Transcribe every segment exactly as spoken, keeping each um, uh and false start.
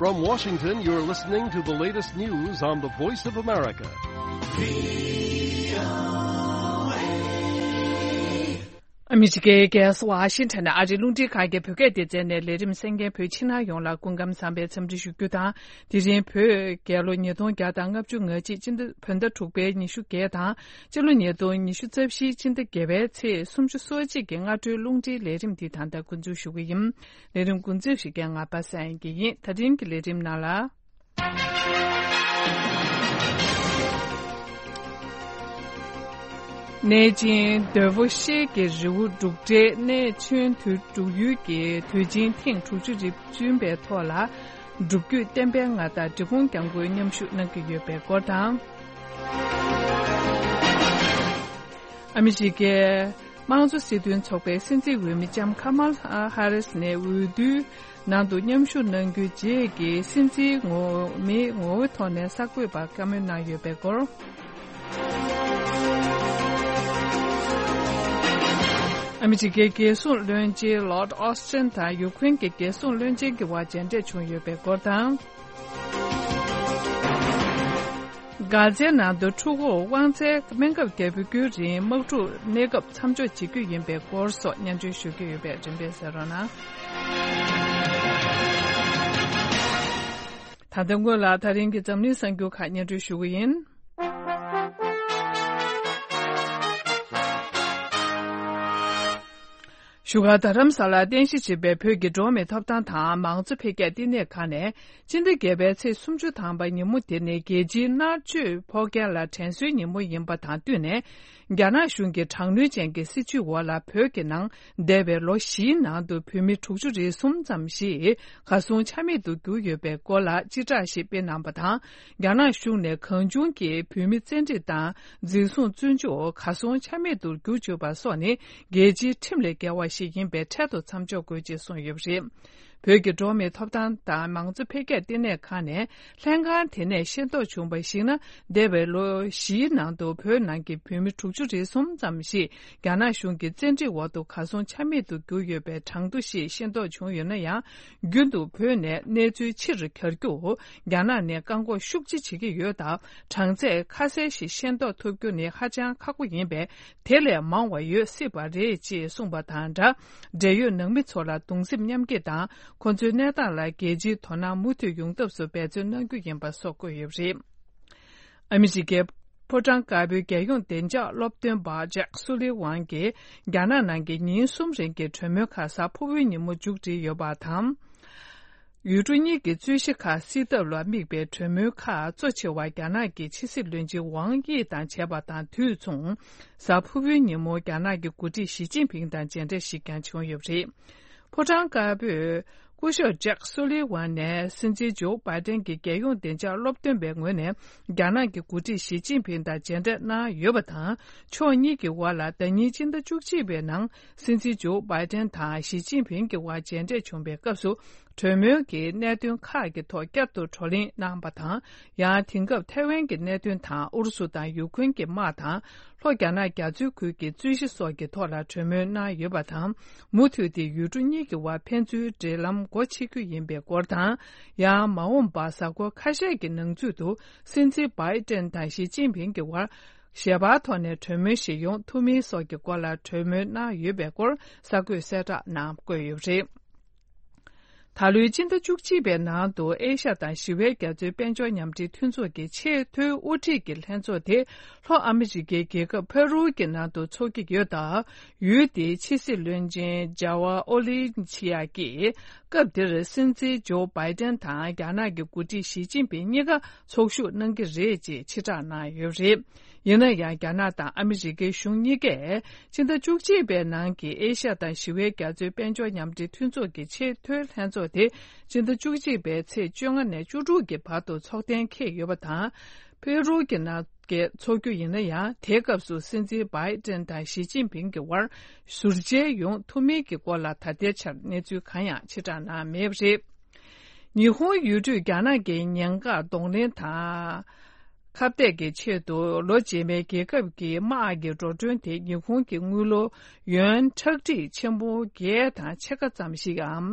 From Washington, you're listening to the latest news on the Voice of America. ཨ་མི་རི་ཀའི་རྒྱལ་ས་ཝ་ཤིང་ཊོན་ནས་ཨ་རིའི་རླུང་འཕྲིན་ཁང་གི་བོད་སྐད་སྡེ་ཚན་ནས་ལས་རིམ་གསན་མཁན་བོད་ཕྱི་ནང་ཡོངས་ལ་སྐུ་ཁམས་བཟང་བའི་འཚམས་འདྲི་ཞུ་རྒྱུ་དང་། དེ་རིང་བོད་རྒྱལ་ལོ་ཉིས་སྟོང་བརྒྱ་དང་ལྔ་བཅུ་ང་གཅིག་སྤྱི་ཟླ་བོད་ཟླ་དྲུག་པའི་ཉི་ཤུ་བརྒྱད་དང་། སྤྱི་ལོ་ཉིས་སྟོང་ཉི་ཤུ་རྩ་བཞིའི་སྤྱི་ཟླ་བརྒྱད་པའི་ཚེས་སུམ་ཅུ་སོ་གཅིག་གི་སྔ་དྲོའི་རླུང་འཕྲིན་ལས་རིམ་འདི་ད་ལྟ་འགོ་འཛུགས་ཞུ་གི་ཡིན། ལས་རིམ་འགོ་འཛུགས་ཞུ་མཁན་ང་པ་སངས་དབྱངས་སྐྱིད་ཡིན། ད་རིང་གི་ལས་རིམ་ནང་ལ། གནས་ཆེན་རྡོ་རྗེ་ཤེལ་གྱི་རི་བོ་འབྲུག་སྒྲའི་གནས་ཆེན་དུ་འབྲུག་ཡུལ་གྱི་དུས་ཆེན་ཐེངས་དྲུག་ཅུ་རེ་བདུན་པའི་ཐོག་ལ། སྒྲུབ་བརྒྱུད་བསྟན་པའི་མངའ་བདག་འབྲི་གུང་སྐྱབས་མགོན་མཉམ་ཞུགས་གནང་གི་ཡོད་པའི་སྐོར་དང་། ཨ་མི་རི་ཀའི་དམངས་གཙོ་སྲིད་དོན་ཚོགས་པའི་སྲིད་འཛིན་འོས་མི་ལྕམ་ཁ་མལ་ཧ་རིས་ནས་འོས་བསྡུའི་ནང་དུ་མཉམ་ཞུགས་གནང་རྒྱུའི་རྗེས་ཀྱི་སྲིད་འཛིན་ངོ་མའི་ངོ་བོའི་ཐོག་ནས་གསར་འགོད་པར་བཀའ་མོལ་གནང་ཡོད་པའི་སྐོར། ཨ་མི་རི་ཀའི་རྒྱལ་སྲུང་བློན་ཆེན་ལོརྡ་ཨོ་སི་ཊིན་དང་ཡུ་ཀེ་རེན་གྱི་རྒྱལ་སྲུང་བློན་ཆེན་གྱི་དབར་མཇལ་འཕྲད་བྱུང་ཡོད་པའི་སྐོར་དང་། གྷ་ཛའི་ནང་དུ་འཁྲུག་འོག་དབང་ཚད་སྨན་ཁབ་བརྒྱ་དཔེ་དགུའི་རིང་དམག་འཁྲུག་གནས་སྐབས་མཚམས་འཇོག་བྱེད་རྒྱུ་ཡིན་པའི་སྐོར་སོགས་སྙན་སྒྲོན་ཞུ་རྒྱུ་ཡོད་པས་རིམ་པས་གསན་རོགས་གནང་། ད་ལྟ་སྔོན་ལ་ད་རིང་གི་འཛམ་གླིང་གསར་འགྱུར་ཁག་སྙན་སྒྲོན་ཞུ་གི་ཡིན། བཞུགས་སྒར་རྡ་རམ་ས་ལར་རྟེན་གཞི་བྱས་པའི་བོད་ཀྱི་འགྲོ་བ་མིའི་ཐོབ་ཐང་དང་མང་གཙོ་འཕེལ་རྒྱས་བསྟི་གནས་ཁང་ནས། སྤྱི་ཟླ་བརྒྱད་པའི་ཚེས་སུམ་ཅུ་ཐམ་པ་ཉིན་མོ་དེ་ནི་རྒྱལ་སྤྱིའི་མནར་གཅོད་ཕོག་མཁན་ལ་དྲན་གསོའི་ཉིན་མོ་ཡིན་པ་དང་བསྟུན་ནས། རྒྱ་ནག་གཞུང་གི་དྲག་གནོན་ཅན་གྱི་སྲིད་བྱུས་འོག་ལ་བོད་ཀྱི་ནང་འདས་པའི་ལོ་བཞིའི་ནང་དུ་བོད་མི་དྲུག་ཅུ་རེ་གསུམ་ཙམ་ཞིག་གར་སོང་ཆ་མེད་དུ་གྱུར་ཡོད་པའི་སྐོར་ལ་སྤྱི་བསྒྲགས་ཤིག་སྤེལ་གནང་བ་དང་། རྒྱ་ནག་གཞུང་ནས་གང་བྱུང་གིས་བོད་མི་བཙན་ཁྲིད་དང་། འཛིན་བཟུང་བཙོན་འཇུག་གར་སོང་ཆ་མེད་དུ་བསྒྱུར་བཅུག་པ་སོགས་ནི་རྒྱལ་སྤྱིའི་ཁྲིམས་ལས་འགལ་བ་ཞིག་ཡིན་པས་འཕྲལ་དུ་མཚམས་འཇོག་དགོས་ཅེས་གསུངས་ཡོད་པ་རེད། བོད་ཀྱི་འགྲོ་བ་མིའི་ཐོབ་ཐང་དང་མང་གཙོ་འཕེལ་རྒྱས་བསྟི་གནས་ཁང་ནས་ལྷན་ཁང་དེ་ནས་ཤེས་རྟོགས་བྱུང་བར་གཞིགས་ན། འདས་པའི་ལོ་བཞིའི་ནང་དུ་བོད་ནང་གི་བོད་མི་དྲུག་ཅུ་རེ་གསུམ་ཙམ་ཞིག་རྒྱ་ནག་གཞུང་གི་བཙན་ཁྲིད་འོག་ཏུ་གར་སོང་ཆ་མེད་དུ་གྱུར་ཡོད་པའི་གྲངས་ཐོ་ཞིག་ཤེས་རྟོགས་བྱུང་ཡོད་ན་ཡང་། རྒྱུན་དུ་བོད་ནས་གནས་ཚུལ་ཕྱིར་གྱར་རྒྱུར་རྒྱ་ནག་ནས་བཀག་འགོག་ཤུགས་ཆེ་བྱེད་ཀྱི་ཡོད་སྟབས། གྲངས་ཚད་ཁ་གསལ་ཞིག་ཤེས་རྟོགས་ཐུབ་རྒྱུ་ནི་ཧ་ཅང་ཁག་པོ་ཡིན་པས། དེ་ལས་མང་བ་ཡོད་སྲིད་པ་རེད་ཅེས་གསུངས་པ་དང་སྦྲགས། འབྲེལ་ཡོད་ནང་མི་ཚོ་ལ་གདུང་སེམས་མཉམ་སྐྱེད་དང་། ཁོ་ཚོའི་གནས་སྟངས་ལ་རྒྱལ་སྤྱིའི་དོ་སྣང་མུ་མཐུད་ཡོང་ཐབས་སུ་འབད་བརྩོན་གནང་རྒྱུ་ཡིན་པ་སོགས་བཀོད་ཡོད་པ་རེད། ཨ་མི་རི་ཀའི་ཕོ་བྲང་དཀར་པོའི་རྒྱལ་ཡོངས་བདེ་འཇགས་སློབ་སྟོན་པ་ཇེག་སུ་ལི་ཝན་གྱིས་རྒྱ་ནག་ནང་གི་ཉིན་གསུམ་རིང་གི་གྲོས་མོལ་ཁག་གཟའ་ཕུར་བུའི་ཉིན་མོ་མཇུག་བསྒྲིལ་ཡོད་པ་དང་། ཡུལ་གྲུ་གཉིས་ཀྱི་རྩོད་གཞི་ཁག་སེལ་ཐབས་ལ་དམིགས་པའི་གྲོས་མོལ་ཁག་གཙོ་ཆེ་བ་རྒྱ་ནག་གི་ཕྱི་སྲིད་བློན་ཆེན་ཝང་དབྱི་དང་བྱས་པ་དང་དུས་མཚུངས། གཟའ་ཕུར་བུའི་ཉིན་མོ་རྒྱ་ནག་གི་འགོ་ཁྲིད་ཞི་ཅིན་ཕིང་དང་མཇལ་འཕྲད་ཞིག་ཀྱང་བྱུང་ཡོད་པ་རེད། ཕོ་བྲང་དཀར་པོས་སྐུ་ཞབས་ཇེག་སུ་ལི་ཝན་ནས་སྲིད་འཛིན་ཇོ་བྷའི་ཏན་གྱི་རྒྱལ་ཡོངས་བདེ་འཇགས་སློབ་སྟོན་པའི་ངོས་ནས་རྒྱ་ནག་གི་འགོ་ཁྲིད་ཞི་ཅིན་ཕིང་དང་མཇལ་འཕྲད་གནང་ཡོད་པ་དང་། ཕྱོགས་གཉིས་ཀྱི་དབར་ལ་ཟླ་ཉིན་སྤྱི་ཟླ་བཅུ་གཅིག་པའི་ནང་སྲིད་འཛིན་ཇོ་བྷའི་ཏན་དང་ཞི་ཅིན་ཕིང་གི་དབར་མཇལ་འཕྲད་བྱུང་བའི་སྐབས་སུ། གྲོས་མོལ་གྱི་གནད་དོན་ཁག་གི་ཐོག་བསྐྱར་དུ་བགྲོ་གླེང་གནང་བ་དང་། ཡང་དེང་སྐབས་ཐའེ་ཝན་གྱི་གནད་དོན་དང་ཨུ་རུ་སུ་དང་ཡུ་ཁུན་གྱི་དམག་དང་། ལྷོ་རྒྱ་ནག་རྒྱ་མཚོའི་ཁུལ་གྱི་རྩོད་གཞི་སོགས་ཀྱི་ཐོག་ལ་གྲོས་མོལ་གནང་ཡོད་པ་དང་། མུ་མཐུད་དེ་ཡུལ་གྲུ་གཉིས་ཀྱི་དབར་ཕན་ཚུན་འབྲེལ་ལམ་སྒོ་ཕྱེ་རྒྱུ་ཡིན་པའི་སྐོར་དང་། ཡང་མ་འོངས་པར་གཟའ་འཁོར་ཁ་ཤས་ཀྱི་ནང་ཚུད་དུ་སྲིད་འཛིན་བྷའི་ཏན་དང་ཞི་ཅིན་ཕིང་གི་དབར་ཞལ་པར་ཐོག་ནས་གྲོས་མོལ་ཞིག་ཡོང་ཐུབ་མིན་སོགས་ཀྱི་སྐོར་ལ་གྲོས་མོལ་གནང་ཡོད་པའི་སྐོར་གསར་འགོད་གསལ་བསྒྲགས་ནང་བཀོད་ཡོད་པ་རེད། ད་ལོའི་སྤྱི་ཟླ་བཅུ་གཅིག་པའི་ནང་དུ་ཨེ་ཤ་དང་ཞི་བའི་རྒྱ་མཚོའི་དཔལ་འབྱོར་མཉམ་འབྲེལ་མཐུན་ཚོགས་ཀྱི་ཆེས་མཐོའི་དབུ་ཁྲིད་ཀྱི་ལྷན་ཚོགས་དེ་ལྷོ་ཨ་མི་རི་ཀའི་རྒྱལ་ཁབ་ཕ་རུ་གྱི་ནང་དུ་འཚོགས་ཀྱི་ཡོད་སྟབས། ཡུལ་དེའི་ཕྱི་སྲིད་བློན་ཆེན་ཇ་ཝར་ཨོ་ལི་ཆི་ཡ་གིས་སྐབས་དེར་སྲིད་འཛིན་ཇོ་བྷའི་ཏན་དང་རྒྱ་ནག་གི་འགོ་ཁྲིད་ཞི་ཅིན་ཕིང་གཉིས་ཀ་ཚོགས་ཞུགས་གནང་གི་རེད་ཅེས་ཕྱིར་བསྒྲགས་གནང་ཡོད་པ་རེད། ཡིན་ན་ཡང་རྒྱ་ནག་དང་ཨ་མི་རི་ཀའི་གཞུང་གཉིས་ཀས་སྤྱི་ཟླ་བཅུ་གཅིག་པའི་ནང་གི་ཨེ་ཤ་དང་ཞི་བའི་རྒྱ་མཚོའི་དཔལ་འབྱོར་མཉམ་འབྲེལ་མཐུན་ཚོགས་ཀྱི་ཆེས་མཐོའི་ལྷན་ཚོགས་དེ་སྤྱི་ཟླ་བཅུ་གཅིག་པའི་ཚེས་བཅོ་ལྔ་ནས་བཅུ་དྲུག་གི་བར་དུ་འཚོགས་གཏན་འཁེལ་ཡོད་པ་དང་། ཕེ་རུ་གྱི་ནང་འཚོགས་རྒྱུ་ཡིན་ན་ཡང་། དེའི་སྐབས་སུ་སྲིད་འཛིན་བྷའི་ཏན་དང་ཞི་ཅིན་ཕིང་གི་དབར་ཟུར་མཇལ་ཡོང་ཐུབ་མིན་གྱི་སྐོར་ལ་ད་ལྟའི་ཆར་གནས་ཚུལ་གང་ཡང་ཕྱིར་བསྒྲགས་གནང་མེད་པ་རེད། ཉི་ཧོང་ཡུལ་གྲུས་རྒྱ་ནག་གི་ཉེན་འགག་གདོང་ལེན་དང་ ཁ་གཏད་ཀྱི་ཆེད་དུ་ལོ་རྗེས་མའི་རྒྱལ་ཁབ་ཀྱི་དམག་གི་འགྲོ་གྲོན་དེ་ཉི་ཧོང་གི་དངུལ་ལོར་ཡོན་ཁྲག་ཁྲིག་ཆེན་པོ་བརྒྱད་དང་ཕྱེད་ཀ་ཙམ་ཞིག་གམ།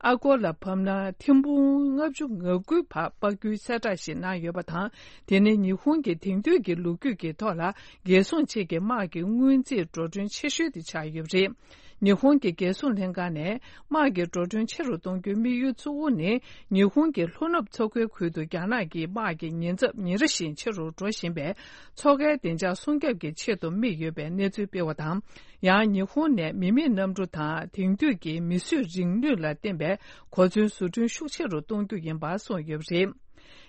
ཨ་སྒོར་ལ་ཕབ་ན་ཐེར་འབུམ་ལྔ་བཅུ་ང་དགུ་བར་དཔག་རྒྱུའི་གསལ་བསྒྲགས་ཤིག་གནང་ཡོད་པ་དང་། དེ་ནི་ཉི་ཧོང་གི་དེང་དུས་ཀྱི་ལོ་རྒྱུས་ཀྱི་ཐོག་ལ་རྒྱལ་སྲུང་ཆེད་ཀྱི་དམག་གི་སྔོན་རྩིས་འགྲོ་གྲོན་ཆེ་ཤོས་དེ་ཆགས་ཡོད་པ་རེད། ཉི་ཧོང་གི་རྒྱལ་སྲུང་ལྷན་ཁང་ནས་དམག་གི་འགྲོ་གྲོན་ཆེ་རུ་གཏོང་རྒྱུའི་དམིགས་ཡུལ་གཙོ་བོ་ནི། ཉི་ཧོང་གི་ལྷོ་ནུབ་མཚོ་ཁུལ་ཁུལ་དུ་རྒྱ་ནག་གི་དམག་གི་ཉེན་ཚབས་ཉིན་རེ་བཞིན་ཆེ་རུ་འགྲོ་བཞིན་པས། མཚོ་ཁའི་བདེ་འཇགས་སྲུང་སྐྱོབ་ཀྱི་ཆེད་དུ་དམིགས་ཡོད་པའི་གནས་ཚུལ་སྤེལ་བ་དང་། ཡང་ཉི་ཧོང་ནས་མི་མེད་གནམ་གྲུ་དང་དེང་དུས་ཀྱི་མིས་བཟོས་རིག་ནུས་ལ་བརྟེན་པའི་གོ་མཚོན་བཟོ་སྐྲུན་ཤུགས་ཆེ་རུ་གཏོང་རྒྱུ་ཡིན་པ་གསུངས་ཡོད་པ་རེད།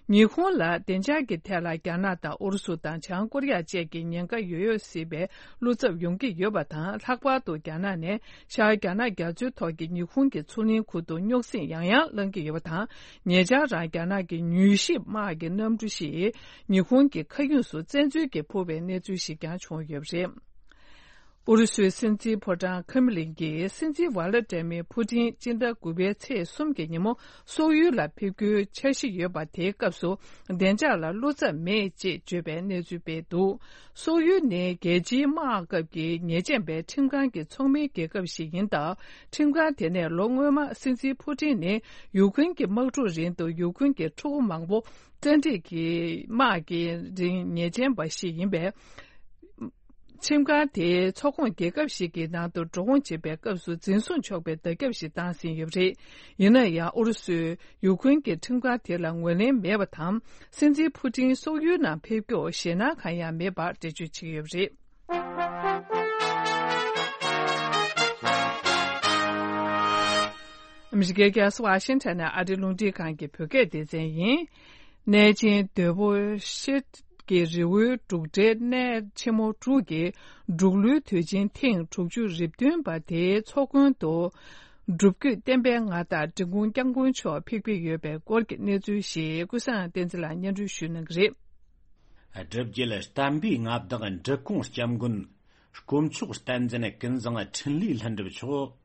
ཉི་ཧོང་ལ་བདེ་འཇགས་ཀྱི་ཐད་ལ་རྒྱ་ནག་དང་ཨུ་རུ་སུ་དང་བྱང་ཀོ་རི་ཡ་བཅས་ཀྱི་ཉེན་ཁ་ཡོད་ཡོད་སྲིད་པའི་བློ་འཚབ་ཡོང་གི་ཡོད་པ་དང་། ལྷག་པར་དུ་རྒྱ་ནག་ནས་ཤར་རྒྱ་ནག་རྒྱ་མཚོའི་ཐོག་གི་ཉི་ཧོང་གི་མཚོ་གླིང་ཁུལ་དུ་རྙོག་ཟིང་ཡང་ཡང་བསླང་གི་ཡོད་པ་དང་། ཉེ་ཆར་རང་རྒྱ་ནག་གི་མྱུལ་ཞིབ་དམག་གི་གནམ་གྲུ་ཞིག་ཉི་ཧོང་གི་མཁའ་དབྱིངས་སུ་བཙན་འཛུལ་གྱིས་འཕུར་བའི་གནས་ཚུལ་ཞིག་ཀྱང་བྱུང་ཡོད་པ་རེད། ཨུ་རུ་སུའི་སྲིད་འཛིན་ཕོ་བྲང་ཁེམ་ལིན་གྱིས་སྲིད་འཛིན་ཝ་ལ་ཏྲེ་མི་ཕུ་ཏིན་སྤྱི་ཟླ་དགུ་པའི་ཚེས་གསུམ་གྱི་ཉིན་མོ་སོག་ཡུལ་ལ་ཕེབས་རྒྱུའི་འཆར་གཞི་ཡོད་པ། དེའི་སྐབས་སུ་བདེ་འཇགས་ལ་བློ་འཚབ་མེད་ཅེས་བརྗོད་པའི་གནས་ཚུལ་སྤེལ་འདུག་སོག་ཡུལ་ནི་རྒྱལ་སྤྱིའི་དམག་སྐབས་ཀྱི་ཉེས་ཅན་པའི་ཁྲིམས་ཁང་གི་ཚོགས་མིའི་རྒྱལ་ཁབ་ཞིག་ཡིན་སྟབས། ཁྲིམས་ཁང་དེ་ནས་ལོ་སྔོན་མ་སྲིད་འཛིན་ཕུ་ཏིན་ནི་ཡུ་ཁུན་གྱི་དམག་འཁྲུག་རིང་དུ་ཡུ་ཁུན་གྱི་ཕྲུ་གུ་མང་པོ་བཙན་ཁྲིད་ཀྱིས་དམག་གི་རིང་ཉེས་ཅན་པ་ཞིག་ཡིན་པས། ཁྲིམས་ཁང་དེའི་ཚོགས་ཁོངས་རྒྱལ་ཁབ་ཞིག་གི་ནང་དུ་འགྲོ་འོང་བྱེད་པའི་སྐབས་སུ་འཛིན་བཟུང་ཆོག་པའི་བརྡ་ཁྱབ་ཞིག་བཏང་ཟིན་ཡོད་པ་རེད། ཡིན་ན་ཡང་ཨུ་རུ་སུས་ཡུ་ཁུན་གྱི་ཁྲིམས་ཁང་དེ་ལ་ངོས་ལེན་མེད་པ་དང་། སྲིད་འཛིན་ཕུ་ཏིན་སོག་ཡུལ་ནང་ཕེབས་སྐྱོད་ཞེད་སྣང་གང་ཡང་མེད་པར་འགྲེལ་བརྗོད་བྱས་ཡོད་པ་རེད། ཨ་མི་རི་ཀའི་རྒྱལ་ས་ཝ་ཤིང་ཊོན་ནས་ཨ་རིའི་རླུང་འཕྲིན་ཁང་གི་བོད་སྐད་སྡེ་ཚན་ཡིན། གནས་ཆེན་དོལ་པོ་ཤེལ་གྱི་རི་བོའི་འབྲུག་སྒྲའི་གནས་ཆེན་མོ་དྲུག་གི་འབྲུག་ལོའི་དུས་ཆེན་ཐེངས་དྲུག་ཅུ་རེ་བདུན་པ་དེའི་ཚོགས་མགོན་དུ། སྒྲུབ་བརྒྱུད་བསྟན་པའི་མངའ་བདག་འབྲི་གུང་སྐྱབས་མགོན་མཆོག་ཕེབས་ཀྱི་ཡོད་པའི་སྐོར་གྱི་གནས་ཚུལ་ཞིག་ཀུན་བཟང་བསྟན་འཛིན་ལགས་སྙན་སྒྲོན་ཞུ་གནང་གི་རེད། སྒྲུབ་བརྒྱུད་བསྟན་པའི་མངའ་བདག་འབྲི་གུང་སྐྱབས་མགོན་དཀོན་མཆོག་བསྟན་འཛིན་ཀུན་བཟང་འཕྲིན་ལས་ལྷུན་གྲུབ་མཆོག་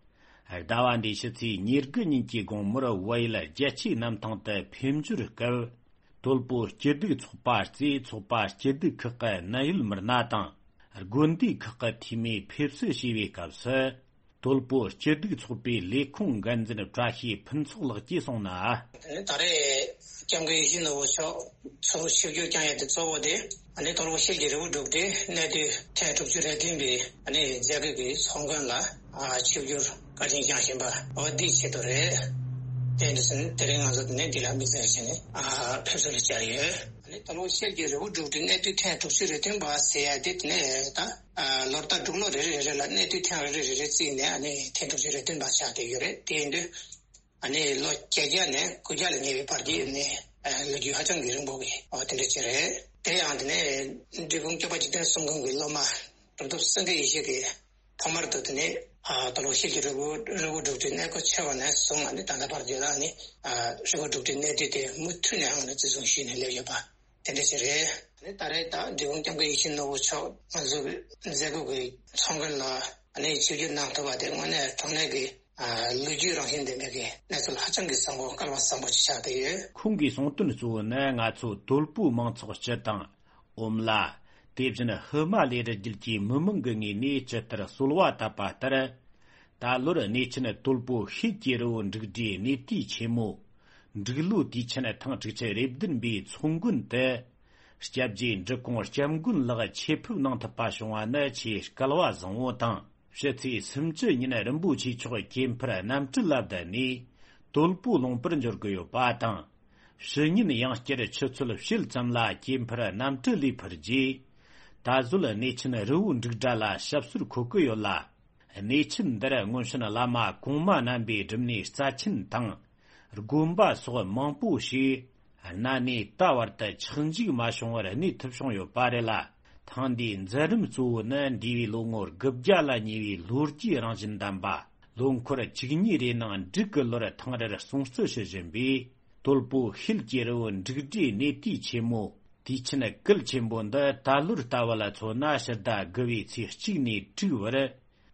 ཟླ་བ་འདིའི་ཕྱི་ཚེས་ཉེར་དགུ་ཉིན་གྱི་དགོང་མོར་བལ་ཡུལ་རྒྱལ་སྤྱིའི་གནམ་ཐང་དུ་ཕེབས་འབྱོར་སྐབས། དོལ་པོ་སྐྱིད་སྡུག་ཚོགས་པ་རྩེ་ཚོགས་པ་སྐྱིད་སྡུག་ཁག་གི་གནད་ཡོད་མི་སྣ་དང་། དགོན་སྡེ་ཁག་གི་འཐུས་མིས་ཕེབས་བསུ་ཞུས་པའི་སྐབས་སུ། དོལ་པོ་སྐྱིད་སྡུག་ཚོགས་པའི་ལས་ཁུངས་འགན་འཛིན་བཀྲ་ཤིས་ཕུན་ཚོགས་ལགས་ཀྱིས་གསུངས་ན། ད་རེས་སྐྱབས་མགོན་ཡིད་བཞིན་ནོར་བུ་མཆོག་ཚུར་ཆིབས་བསྒྱུར་བསྐྱངས་ཡས་དེ་གཙོ་བོ་དེ། ཨ་ནི་དོལ་པོ་ཤེལ་གྱི་རི་བོ་འབྲུག་སྒྲའི་གནས་དུས་ཐེངས་དྲུག་ཅུ་རེ་བདུན་པའི་ཨ་ནི་མཛད་སྒོའི་གི་ཚོགས་མགོན་ལ་ཨ་ཆིབས་བསྒྱུར་བཀའ་དྲིན་བསྐྱངས་བཞིན་པ། འོ་འདིའི་ཆེད་དུ་རེད། དེ་འདྲ་ཟེར་ནས་དེ་རིང་ང་ཚོ་དེ་ནས་འདི་ལ་དམིགས་བསལ་བྱས་ནས་ཨ་ཕེབས་བསུ་ལ་བཅར་ཡོད། ཨ་ནི་དོལ་པོ་ཤེལ་གྱི་རི་བོ་འབྲུག་སྒྲའི་གནས་དུས་ཐེངས་དྲུག་ཅུ་རེ་བདུན་པ་ཟེར་ཡ་དེ་དེ་ནས་ད་ཨ་ལོ་ལྟར་འབྲུག་ལོ་རེ་རེ་རེ་རེ་ལ་གནས་དུས་ཐེངས་རེ་རེ་རེ་རེ་བརྩིས་ནས་ཨ་ནི་ཐེངས་དྲུག་ཅུ་རེ་བདུན་པ་ཆགས་བསྡད་ཡོད་རེད། དེ་ཡིན་དུས། ཨ་ནི་ལོ་བརྒྱད་བརྒྱ་ནས་དགུ་བརྒྱ་ལ་ཉེ་བའི་བར་གྱི་ནི་ལོ་རྒྱུས་ཧ་ཅང་གི་རིང་པོ་གི་འོ་དེ་འདྲ་ཅིག་རེད། དེ་ཡང་དེ་ནས་འབྲི་གུང་སྐྱོབ་པ་འཇིག་རྟེན་གསུམ་མགོན་གྱི་སློབ་མ་གྲུབ་ཐོབ་སེང་གེ་ཡེ་ཤེས་ཀྱི་ཐོག་མར་དུ་དེ་ནས་དོལ་པོ་ཤེལ་གྱི་རི་བོ་རི་བོ་འབྲུག་སྒྲའི་གནས་སྐོར་ཆེ་བ་ནས་བཟུང་ཨ་ནི་ད་ལྟ་བར་དུ་ལ་ནི་རི་བོ་འབྲུག་སྒྲའི་གནས་དུས་དེ་མུ་མཐུད་ནས་ཨང་ནས་བརྩི་སྲུང་ཞུས་ནས་སླེབས་ཡོད་པ་དེ་འདྲ་ཅིག་རེད། ཨ་ནི་ད་རེས་ད་འབྲི་གུང་སྐྱབས་མགོན་ཡིད་བཞིན་ནོར་བུ་མཆོག་ང་ཚོའི་མཛད་སྒོ་གི་ཚོགས་མགོན་ལ་ཨ་ནི་ཆིབས་བསྒྱུར་གནང་ཐུབ་པ་དེ་དངོས་གནས་དྲང་གནས་ཀྱི། ལོ་རྒྱུས་རང་བཞིན་ལྡན་པའི་གནས་ཚུལ་ཧ་ཅང་གི་བཟང་པོ་སྐལ་བ་བཟང་པོ་ཅིག་ཆགས་བསྡད་ཡོད། ཁོང་གིས་གསུངས་དོན་གཙོ་བོ་ནི་ང་ཚོ་དོལ་པོའི་མང་ཚོགས་སྤྱི་དང་། ཨོམ་ལ། དེ་བཞིན་ཧི་མ་ལའི་རི་རྒྱུད་ཀྱི་མི་མང་གི་ངོས་ནས་ཇི་ལྟར་གསོལ་བ་བཏབ་པ་ལྟར། ད་ལོར་གནས་ཆེན་དོལ་པོ་ཤེལ་གྱི་རི་བོ་འབྲུག་སྒྲའི་གནས་དུས་ཆེན་མོ། འབྲུག་ལོའི་དུས་ཆེན་ཐེངས་དྲུག་ཅུ་རེ་བདུན་པའི་ཚོགས་མགོན་དུ། སྐྱབས་རྗེ་འབྲི་གུང་སྐྱབས་མགོན་ལགས་ཆེད་ཕེབས་གནང་ཐུབ་པ་བྱུང་བ་ནི་ཆེས་སྐལ་བ་བཟང་བོ་དང་། ཕྱི་ཚེས་སུམ་ཅུ་ཉིན་རིན་པོ་ཆེ་མཆོག་གྱེན་འཕུར་གནམ་གྲུ་ལ་བསྡད་ནས་དོལ་པོ་ལུང་པར་འབྱོར་གྱི་ཡོད་པ་དང་། ཕྱི་ཉིན་ཡང་བསྐྱར་ཆུ་ཚོད་ཕྱེད་ཙམ་ལ་གྱེན་འཕུར་གནམ་གྲུ་ལས་འཕུར་རྗེས། ད་གཟོད་གནས་ཆེན་རི་བོ་འབྲུག་སྒྲ་ལ་ཞབས་སོར་འཁོད་ཀྱི་ཡོད་ལ། གནས་ཆེན་འདིར་སྔོན་བྱོན་བླ་མ་གོང་མ་རྣམ་པའི་སྒྲུབ་གནས་རྩ་ཆེན་དང་། དགོན་པ་སོགས་མང་པོ་ཞིག་གནའ་ནས་ད་བར་དུ་ཆག་འཇིག་མ་བྱུང་བར་གནས་ཐུབ་བྱུང་ཡོད་པ་རེད་ལ། ཐེངས་འདིའི་མཛད་རིམ་གཙོ་བོ་ནི་འདས་པའི་ལོ་ངོ་དགུ་བརྒྱ་ལ་ཉེ་བའི་ལོ་རྒྱུས་རང་བཞིན་ལྡན་པ། ལོ་འཁོར་བཅུ་གཉིས་རེའི་ནང་འབྲུག་གི་ལོར་ཐེངས་རེར་སྲུང་བརྩི་ཞུ་བཞིན་པའི་དོལ་པོ་ཤེལ་གྱི་རི་བོ་འབྲུག་སྒྲའི་གནས་དུས་ཆེན་མོ། དུས་ཆེན་གལ་ཆེན་པོ་འདི་ད་ལོར་ལྟ་བུ་ལ་མཚོན་ན་ཕྱི་ཟླ་དགུ་བའི་ཚེས་གཅིག་ནས་དྲུག་བར།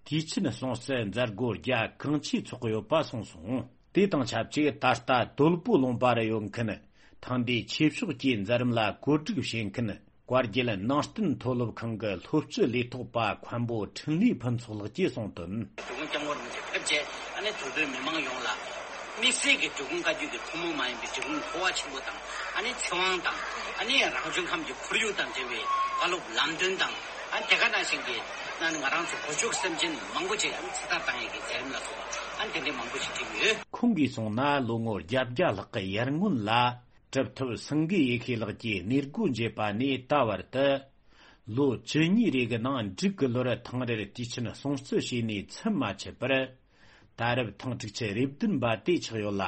དུས་ཆེན་སྲུང་བརྩི་མཛད་སྒོ་རྒྱ་གང་ཆེ་ཚོགས་ཡོད་པ་གསུངས་སོང་། དེ་དང་ཆབས་ཅིག་ད་ལྟ་དོལ་པོ་ལུང་པ་རུ་ཡོད་མཁན་ཐེངས་འདིའི་ཆོས་ཕྱོགས་ཀྱི་མཛད་རིམ་ལ་གོ་སྒྲིག་བྱེད་མཁན་ བཀའ་བརྒྱུད་ནང་བསྟན་མཐོ་སློབ་ཁང་གི་སློབ་སྤྱི་ལས་ཐོག་པ་མཁན་པོ་འཕྲིན་ལས་ཕུན་ཚོགས་ལགས་ཀྱིས་གསུངས་དོན། འབྲི་གུང་སྐྱབས་མགོན་རིན་པོ་ཆེ་ཕེབས་རྗེས་ཨ་ནི་དུས་བོད་མི་མང་ཡོངས་ལ་དམིགས་བསལ་གྱི་འབྲི་གུང་བཀའ་བརྒྱུད་ཀྱི་ཐུན་མོང་མ་ཡིན་པའི་འབྲི་གུང་འཕོ་བ་ཆེན་པོ་དང་ཨ་ནི་ཚེ་དབང་དང་ཨ་ནི་རང་བྱུང་ཁམས་ཀྱི་ཁོར་ཡུག་དང་འབྲེལ་བའི་བཀའ་སློབ་ལམ་སྟོན་དང་ཨ་ནི་དེ་ག་ནང་བཞིན་གྱི་ཨ་ནི་ང་རང་ཚོ་གོ་ཆོད་སེམས་ཅན་མང་པོ་ཅིག་ཨ་ནི་ཚེ་ཐར་བཏང་ཡས་ཀྱི་མཛད་རིམ་ལ་སོགས་པ་ཨ་ནི་དེ་འདྲའི་མང་པོ་ཞིག་བྲིས་ཡོད། ཁོང་གིས་གསུངས་ན་ལོ་ངོ་བརྒྱད་བརྒྱ་ལྷག་གི་ཡར་སྔོན་ལ། གྲུབ་ཐོབ་སེང་གེ་ཡེ་ཤེས་ལགས་ཀྱིས་གནས་སྒོ་འབྱེད་པ་ནས་ད་བར་དུ། ལོ་བཅུ་གཉིས་རེ་གི་ནང་འབྲུག་གི་ལོར་ཐེངས་རེར་དུས་ཆེན་སྲུང་བརྩི་བྱས་ནས་ཚུན་མ་ཆད་པར། ད་རེབ་ཐེངས་དྲུག་ཅུ་རེ་བདུན་པ་དེ་ཆགས་ཡོད་ལ།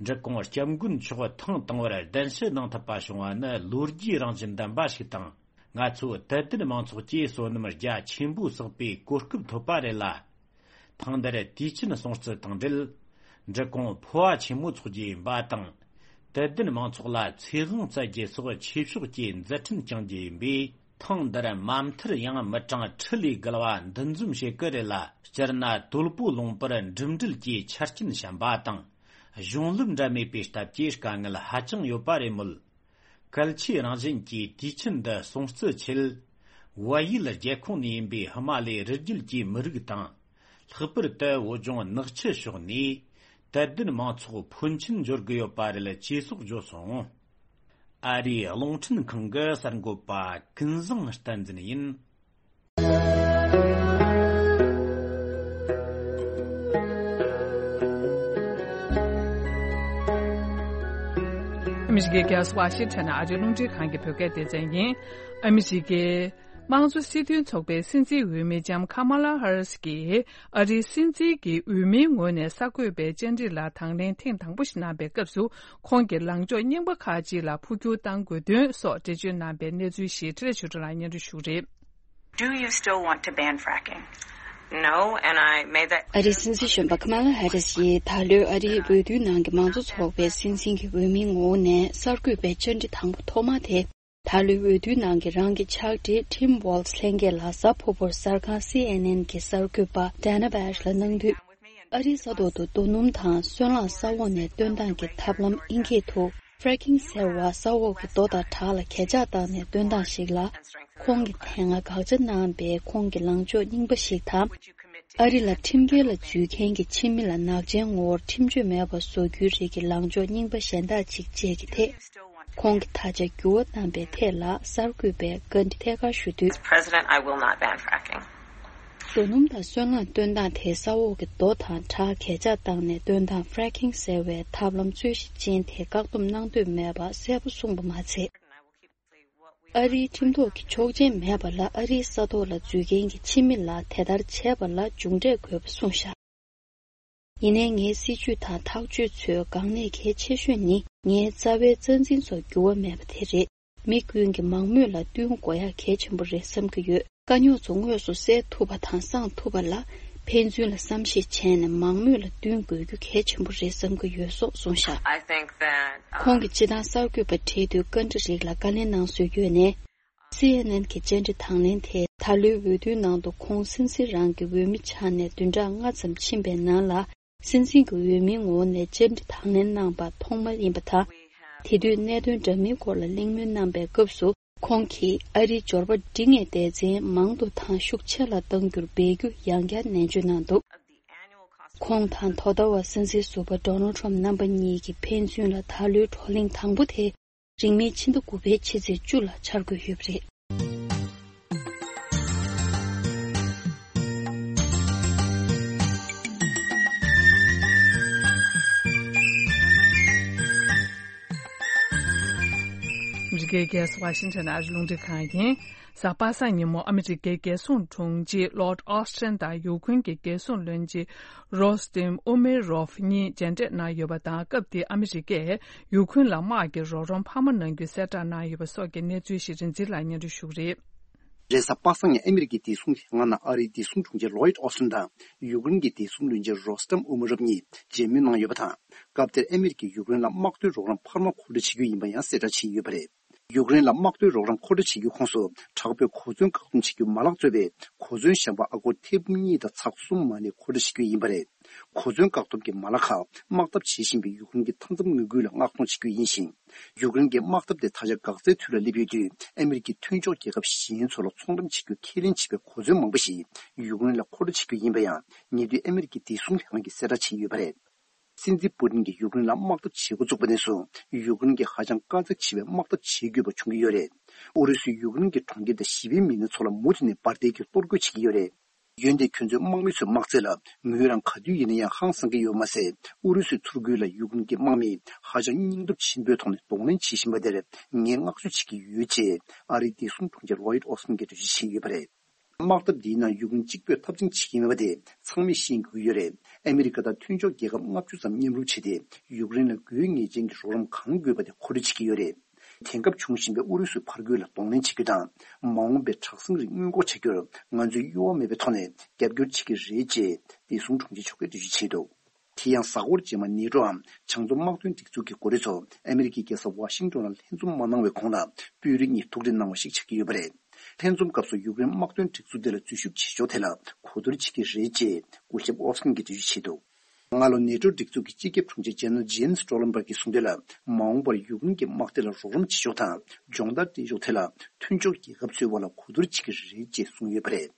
འབྲི་གུང་སྐྱབས་མགོན་མཆོག་ཐེངས་དང་པོར་གདན་ཞུ་གནང་ཐུབ་པ་བྱུང་བ་ནི་ལོ་རྒྱུས་རང་བཞིན་ལྡན་པ་ཞིག་དང་། ང་ཚོ་དད་ལྡན་མང་ཚོགས་ཀྱི་བསོད་ནམས་རྒྱ་ཆེན་པོའི་བསགས་པའི་གོ་སྐབས་ཐོབ་པ་རེད་ལ། ཐེངས་འདིར་དུས་ཆེན་སྲུང་བརྩི་དང་འབྲེལ། འབྲི་གུང་འཕོ་བ་ཆེན་མོ་འཚོགས་རྒྱུ་ཡིན་པ་དང་། དད་ལྡན་མང་ཚོགས་ལ་ཚེ་དབང་སྩལ་རྒྱུ་སོགས་ཆོས་ཕྱོགས་ཀྱི་མཛད་འཕྲིན་བསྐྱང་རྒྱུ་ཡིན་པས། ཐེངས་འདིར་མ་མཐར་ཡང་མི་གྲངས་ཁྲི་ལས་བརྒལ་བ་འདུ་འཛོམས་བྱེད་ཀྱི་རེད་ལ། སྤྱིར་ན་དོལ་པོ་ལུང་པར་འགྲིམ་འགྲུལ་གྱི་ཆ་རྐྱེན་ཞན་པ་དང་། གཞུང་ལམ་འདྲ་མེད་པའི་སྟབས་ཀྱིས་དཀའ་ངལ་ཧ་ཅང་ཡོད་པ་རེད་མོད། གལ་ཆེའི་རང་བཞིན་གྱིས་དུས་ཆེན་འདི་སྲུང་བརྩི་ཆེད། བལ་ཡུལ་རྒྱལ་ཁོངས་ནས་ཡིན་པའི་ཧི་མ་ལའི་རི་རྒྱུད་ཀྱི་མི་རིགས་དང་། ལྷག་པར་དུ་བོད་ལྗོངས་ནག་ཆུ་ཕྱོགས་ནས་དད་ལྡན་མང་ཚོགས་ཕོན་ཆེན་འབྱོར་གྱི་ཡོད་པ་རེད་ཅེས་སོགས་བརྗོད་སོང་། ཨ་རིའི་རླུང་འཕྲིན་ཁང་གི་གསར་འགོད་པ་ཀུན་བཟང་བསྟན་འཛིན་ཡིན། ཨ་མི་རི་ཀའི་རྒྱལ་ས་ཝ་ཤིང་ཊོན་ནས་ཨ་རིའི་རླུང་འཕྲིན་ཁང་གི་བོད་སྐད་སྡེ་ཚན་ཡིན། ཨ་མི་རི་ཀའི་དམངས་གཙོ་སྤྱི་མཐུན་ཚོགས་པའི་སྲིད་འཛིན་འོས་མི་ལྕམ་ཁ་མ་ལ་ཧ་རིས་ཀྱིས་ཨ་རིའི་སྲིད་འཛིན་གྱི་འོས་མིའི་ངོས་ནས་གསར་འགོད་པའི་བཅར་འདྲི་ལ་དང་ལེན་ཐེངས་དང་པོ་ཞིག་གནང་བའི་སྐབས་སུ། ཁོང་གིས་ལངས་ཕྱོགས་རྙིང་པ་ཁག་ཅིག་ལ་འཕོ་འགྱུར་གཏང་དགོས་དོན་སོགས་འགྲེལ་བརྗོད་གནང་པའི་གནས་ཚུལ་ཞིག་འཕྲིན་ལས་ཆོས་སྒྲོན་ལགས་སྙན་སྒྲོན་ཞུ་གི་རེད། Do you still want to ban fracking? No, and I made that ཨ་རིའི་སྲིད་འཛིན་གཞོན་པ་ཁ་མ་ལ་ཧ་རིས་ཡིས་ད་ལོའི་ཨ་རིའི་འོས་བསྡུའི་ནང་གི་མང་གཙོ་ཚོགས་པའི་སྲིད་འཛིན་གྱི་འོས་མིའི་ངོ་བོ་ནས་གསར་འགོད་པའི་བཅར་འདྲི་དང་པོ་ཐོག་མ་དེ། ད་ལོའི་འོས་བསྡུའི་ནང་གི་རང་གི་ཕྱག་བྲིས་Tim Walz་ལྷན་རྒྱས་ལ་གཟའ་ཕུར་བུར་གསར་ཁང་C N N་གྱི་གསར་འགོད་པ་Dana Bash་ལ་གནང་དུས། ཨ་རིའི་ས་ཐོག་ཏུ་རྡོ་སྣུམ་དང་སོལ་རླངས་ས་འོག་ནས་བཏོན་སྟངས་ཀྱི་ཐབས་ལམ་དབྱིན་སྐད་དུ་Fracking་ཟེར་བ་ས་འོག་གི་རྡོ་དང་བྲག་ལ་གས་ཆག་བཏང་ནས་བཏོན་སྟངས་ཤིག་ལ། ཁོང་གིས་དེ་སྔ་དགག་བྱ་གནང་བའི་ཁོང་གི་ལངས་ཕྱོགས་རྙིང་པ་ཞིག་དང་། ཨ་རི་ལ་ཁྲིམས་འགལ་ལ་འཛུལ་མཁན་གྱི་ཕྱི་མི་ལ་ནག་ཅན་ངོ་བོར་ཁྲིམས་གཅོད་མེད་པར་བཟོ་རྒྱུའི་རིགས་ཀྱི་ལངས་ཕྱོགས་རྙིང་པ་གཞན་དག་ཅིག་བཅས་ཀྱི་ཐད། ཁོང་གིས་ད་ཆ་འགྱུར་བ་བཏང་པའི་ཐད་ལ་གསར་འགོད་པས་བཀའ་འདྲི་ཐད་ཀར་ཞུ་དུས། President, I will not ban fracking. རྡོ་སྣུམ་དང་སོལ་རླངས་བཏོན་སྟངས་དེ་ས་འོག་གི་རྡོ་དང་བྲག་གས་ཆག་བཏང་ནས་བཏོན་སྟངས་Fracking་ཟེར་བའི་ཐབས་ལམ་རྩོད་གཞི་ཅན་དེ་བཀག་སྡོམ་གནང་འདོད་མེད་པ་གསལ་པོ་གསུངས་པ་མ་ཚད། ཨ་རིའི་ཁྲིམས་ཐོག་གི་ཆོག་མཆན་མེད་པ་ལ་ཨ་རིའི་ས་ཐོག་ལ་འཛུལ་མཁན་གྱི་ཕྱི་མི་ལ་དེ་ལྟར་བྱས་པ་ལ་མཇུག་འབྲས་དགོས་པ་གསུངས་བཞག་ཡིན་ནའི་ངའི་སྲིད་ཇུས་དང་ཐག་གཅོད་ཚོས་འགག་གནད་གལ་ཆེ་ཤོས་ནི་ངའི་རྩ་བའི་རྩ་འཛིན་ཚོ་འགྱུར་བ་མེད་པ་དེ་རེད། མི་ཀུན་གྱི་མང་མོས་ལ་བསྟུན་དགོས་ཡག་གལ་ཆེན་པོ་རེད་བསམ་གྱི་ཡོད། དཀའ་རྙོག་ཚོ་དངོས་སུ་སེལ་ཐུབ་པ་དང་སངས་ཐུབ་པ་ལ་ཕན་ཚུན་ལ་བསམ་ཤེས་བྱས་ནས་མང་མོས་ལ་བསྟུན་དགོས་རྒྱུ་གལ་ཆེན་པོ་རེད་བསམ་གྱི་ཡོད་སོགས་གསུངས་བཞག I think that, um, ཁོང་གིས་སྤྱི་བཏང་གསར་འགོད་པ་བྲིས་དུས་བཀའ་འདྲི་རིགས་ལ་བཀའ་ལན་གནང་སྲོལ་ཡོད་ནས། C N N་གྱི་བཅར་འདྲི་དང་ལེན་དེས་ད་ལོའི་འོས་བསྡུའི་ནང་དུ་ཁོང་སྲིད་འཛིན་རང་གི་འོས་མི་ཆགས་ནས་བདུན་ཕྲག་ལྔ་ཙམ་ཕྱིན་པའི་ནང་ལ། སྲིད་འཛིན་གྱི་འོས་མིའི་ངོ་བོ་ནས་བཅར་འདྲི་དང་ལེན་གནང་པ་ཐོག་མ་ཡིན་པ་དང་། དེ་དུས་གནད་དོན་འདྲ་མིན་སྐོར་ལ་གླེང་མོལ་གནང་པའི་སྐབས་སུ། ཁོང་གིས་ཨ་རིའི་འབྱོར་པ་འབྲིང་བའི་སྡེ་ཚན་མང་དུ་དང་ཤུགས་ཆེ་ལ་གཏང་རྒྱུར་འབད་རྒྱུ་ཡང་བསྐྱར་ནན་བརྗོད་གནང་འདུག་ཁོང་དང་དོ་ཟླ་བ་སྲིད་འཛིན་ཟུར་པ་Donald Trump་རྣམ་པ་གཉིས་ཀྱི་ཕན་ཚུན་ལ་ད་ལོའི་བགྲོ་གླེང་དང་པོ་དེ། རིང་མིན་ཕྱི་ཟླ་དགུ་པའི་ཕྱི་ཚེས་བཅུ་ལ་འཆར་འགོད་ཡོད་པ་རེད། ཨ་མི་རི་ཀའི་རྒྱལ་ས་ཝ་ཤིང་ཊོན་ཨ་རི་རླུང་འཕྲིན་ཁང་ཡིན། གཟའ་པ་སངས་ཉིན་མོ་ཨ་མི་རི་ཀའི་རྒྱལ་སྲུང་དྲུང་ཆེ་Lloyd Austin་དང་ཡུཀ་རེན་གྱི་རྒྱལ་སྲུང་བློན་ཆེན་Rustem Umerov་གཉིས་མཇལ་འཕྲད་གནང་ཡོད་པ་དང་། སྐབས་དེར་ཨ་མི་རི་ཀས་ཡུཀ་རེན་ལ་དམག་གི་རོགས་རམ་འཕར་མ་གནང་རྒྱུ་གསལ་བསྒྲགས་གནང་ཡོད་པ་སོགས་ཀྱི་གནས་ཚུལ་ཞིག་རིག་འཛིན་ལགས་སྙན་སྒྲོན་ཞུ་གི་རེད། རེས་གཟའ་པ་སངས་ཉིན་ཨ་མི་རི་ཀའི་བདེ་སྲུང་ལྷན་ཁང་ནང་ཨ་རིའི་བདེ་སྲུང་དྲུང་ཆེ་Lloyd Austin་དང་ཡུཀ་རེན་གྱི་བདེ་སྲུང་བློན་ཆེན་Rustem Umerov་གཉིས་མཇལ་མོལ་གནང་ཡོད་པ་དང་། སྐབས་དེར་ཨ་མི་རི་ཀས་ཡུཀ་རེན་ལ་དམག་དོན་རོགས་རམ་འཕར་མ་མཁོ་སྤྲོད་བྱེད་རྒྱུ་ཡིན་པ་ཡང་གསལ་བསྒྲགས་བྱས་ཡོད་པ་རེད། ཡུཀ་རེན་ལ་དམག་དོན་རོགས་རམ་མཁོ་སྤྲོད་བྱེད་རྒྱུའི་ཁོངས་སུ་དྲག་པོའི་གོ་མཚོན་བཀག་སྡོམ་བྱེད་རྒྱུ་མ་ལག་གཙོས་པའི་གོ་མཚོན་གཞན་པ་ཨ་སྒོར་ཐེར་འབུམ་གཉིས་དང་ཚེག་གསུམ་མ་གནས་མཁོ་སྤྲོད་བྱེད་རྒྱུ་ཡིན་པ་རེད། གོ་མཚོན་བཀག་སྡོམ་གྱི་མ་ལག་ཁག་དམག་འཐབ་བྱེད་བཞིན་པའི་ཡུཀ་རེན་གྱི་མཐའ་མཚམས་དངུལ་ཁུལ་ལ་མངགས་གཏོང་བྱེད་རྒྱུ་ཡིན་ཞིང་། ཡུཀ་རེན་གྱི་དམག་འཐབ་དེ་ད་ཆ་འགག་རྩའི་དུས་ལ་སླེབས་ཡོད་དུས། ཨ་མི་རི་ཀས་མཐུན་ཕྱོགས་རྒྱལ་ཁབ་གཞན་ཚོ་ལ་ཚོང་འགྲེམས་བྱེད་རྒྱུ་ཁས་ལེན་བྱས་པའི་གོ་མཚོན་མང་པོ་ཞིག་ཡུཀ་རེན་ལ་མཁོ་སྤྲོད་བྱེད་རྒྱུ་ཡིན་པ་ཡང་། ཉེ་དུས་ཨ་མི་རི་ཀའི་བདེ་སྲུང་ལྷན་ཁང་གིས་གསལ་བསྒྲགས་བྱས་ཡོད་པ་རེད། སྲིད་འཛིན་པུ་ཏིན་གྱིས་ཡུཀ་རེན་ལ་དམག་འཐབ་བྱེད་འགོ་བཙུགས་པ་ནས་བཟུང་། ཡུཀ་རེན་གྱིས་ཧ་ཅང་དཀའ་ཚེགས་ཆེ་བའི་དམག་འཐབ་བྱེད་དགོས་པ་བྱུང་གི་ཡོད་རེད། ཨུ་རུ་སུས་ཡུཀ་རེན་གྱི་གྲོང་ཁྱེར་དང་ཞི་བའི་མི་སྣ་ཚོ་ལ་མུ་མཐུད་ནས་འབར་མདེལ་གྱིས་གཏོར་རྒོལ་བྱེད་ཀྱི་ཡོད་རེད། འོན་ཏེ་ཁྱོད་ཚོས་དམག་མི་ཚོའི་དམག་རྩལ་ལ་ངོས་རང་ག་དུས་ཡིན་ན་ཡང་ཧང་སང་གི་ཡོད་མ་ཟད། ཨུ་རུ་སུའི་ཚུར་རྒོལ་ལ་ཡུཀ་རེན་གྱི་དམག་མིས་ཧ་ཅང་སྙིང་སྟོབས་ཆེན་པོའི་ཐོག་ནས་གདོང་ལེན་བྱེད་བཞིན་པ་དེར་ངས་བསྔགས་བརྗོད་བྱེད་ཀྱི་ཡོད་ཅེས་ཨ་རིའི་བདེ་སྲུང་དྲུང་ཆེ་ལོ་ཡིད་ཨོ་སི་ཊིན་གྱིས་འགྲེལ་བརྗོད་བྱས་ཡོད་པ་རེད། དམག་འཐབ་འདིའི་ནང་ཡུཀ་རེན་གཅིག་པོས་འཐབ་འཛིང་བྱེད་ཀྱི་མེད་པ་དེ་ཚང་མས་ཤེས་དགོས་ཀྱི་ཡོད་རེད། ཨ་མི་རི་ཀ་དང་མཐུན་ཕྱོགས་རྒྱལ་ཁབ་ལྔ་བཅུ་ཙམ་མཉམ་རུབ་བྱས་ཏེ། ཡུཀ་རེན་ལ་དགོས་ངེས་ཅན་གྱི་རོགས་རམ་གང་དགོས་པ་དེ་མཁོ་སྤྲོད་བྱེད་ཀྱི་ཡོད་རེད། དེང་སྐབས་འབྱུང་བཞིན་པའི་ཨུ་རུ་སུའི་ཕར་རྒོལ་ལ་གདོང་ལེན་བྱེད་རྒྱུ་དང་། མ་འོངས་པའི་དྲག་ཟིང་རིགས་སྔོན་འགོག་བྱ་རྒྱུར་ང་ཚོས་གཡོ་བ་མེད་པའི་ཐོག་ནས་རྒྱབ་སྐྱོར་བྱེད་ཀྱི་རེད་ཅེས་བདེ་སྲུང་དྲུང་ཆེ་མཆོག་གིས་འགྲེལ་བརྗོད་བྱས་འདུག་དེ་ཡང་གཟའ་འཁོར་རྗེས་མ་ནེ་ཏྲོའམ་བྱང་མཚོ་དམག་དོན་སྒྲིག་འཛུགས་ཀྱི་འགོ་ཁྲིད་ཚོ་ཨ་མི་རི་ཀའི་རྒྱལ་ས་ཝ་ཤིང་ཏོན་ལ་ལྷན་འཛོམས་མ་གནང་བའི་གོང་ལ་དཔོན་རིགས་གཉིས་ཐུག་འཕྲད་གནང་བ་ཞིག་ཆགས་ཀྱི་ཡོད་པ་རེད། ལྷན་འཛོམས་སྐབས་སུ་ཡུཀ་རེན་དམག་དོན་སྒྲིག་འཛུགས་དེ་ལ་འཛུལ་ཞུགས་བྱེད་ཕྱོགས་ཐད་ལ་གོ་བསྡུར་བྱེད་ཀྱི་རེད་ཅེས་སྐུ་ཞབས་ཨོ་སི་ཀིན་གྱིས་འགྲེལ་བརྗོད་བྱས་འདུག་སྔ་ལོ་ནེ་ཏྲོ་སྒྲིག་འཛུགས་ཀྱི་སྤྱི་ཁྱབ་དྲུང་ཆེ་ཇེ་ནེལ་ཇེན་སི་སྟོ་ལན་སྦརག་གིས་གསུངས་དོན་ལ། མ་འོངས་པར་ཡུཀ་རེན་གྱི་དམག་སྡེ་ལ་རོགས་རམ་བྱེད་ཕྱོགས་དང་སྦྱོང་བརྡར་སྤྲད་ཕྱོགས་ཐད་ལ་མཐུན་ཕྱོགས་རྒྱལ་ཁབ་ཚོའི་དབར་ལ་གོ་བསྡུར་བྱེད་ཀྱི་རེད་ཅེས་གསུངས་ཡོད་པ་རེད།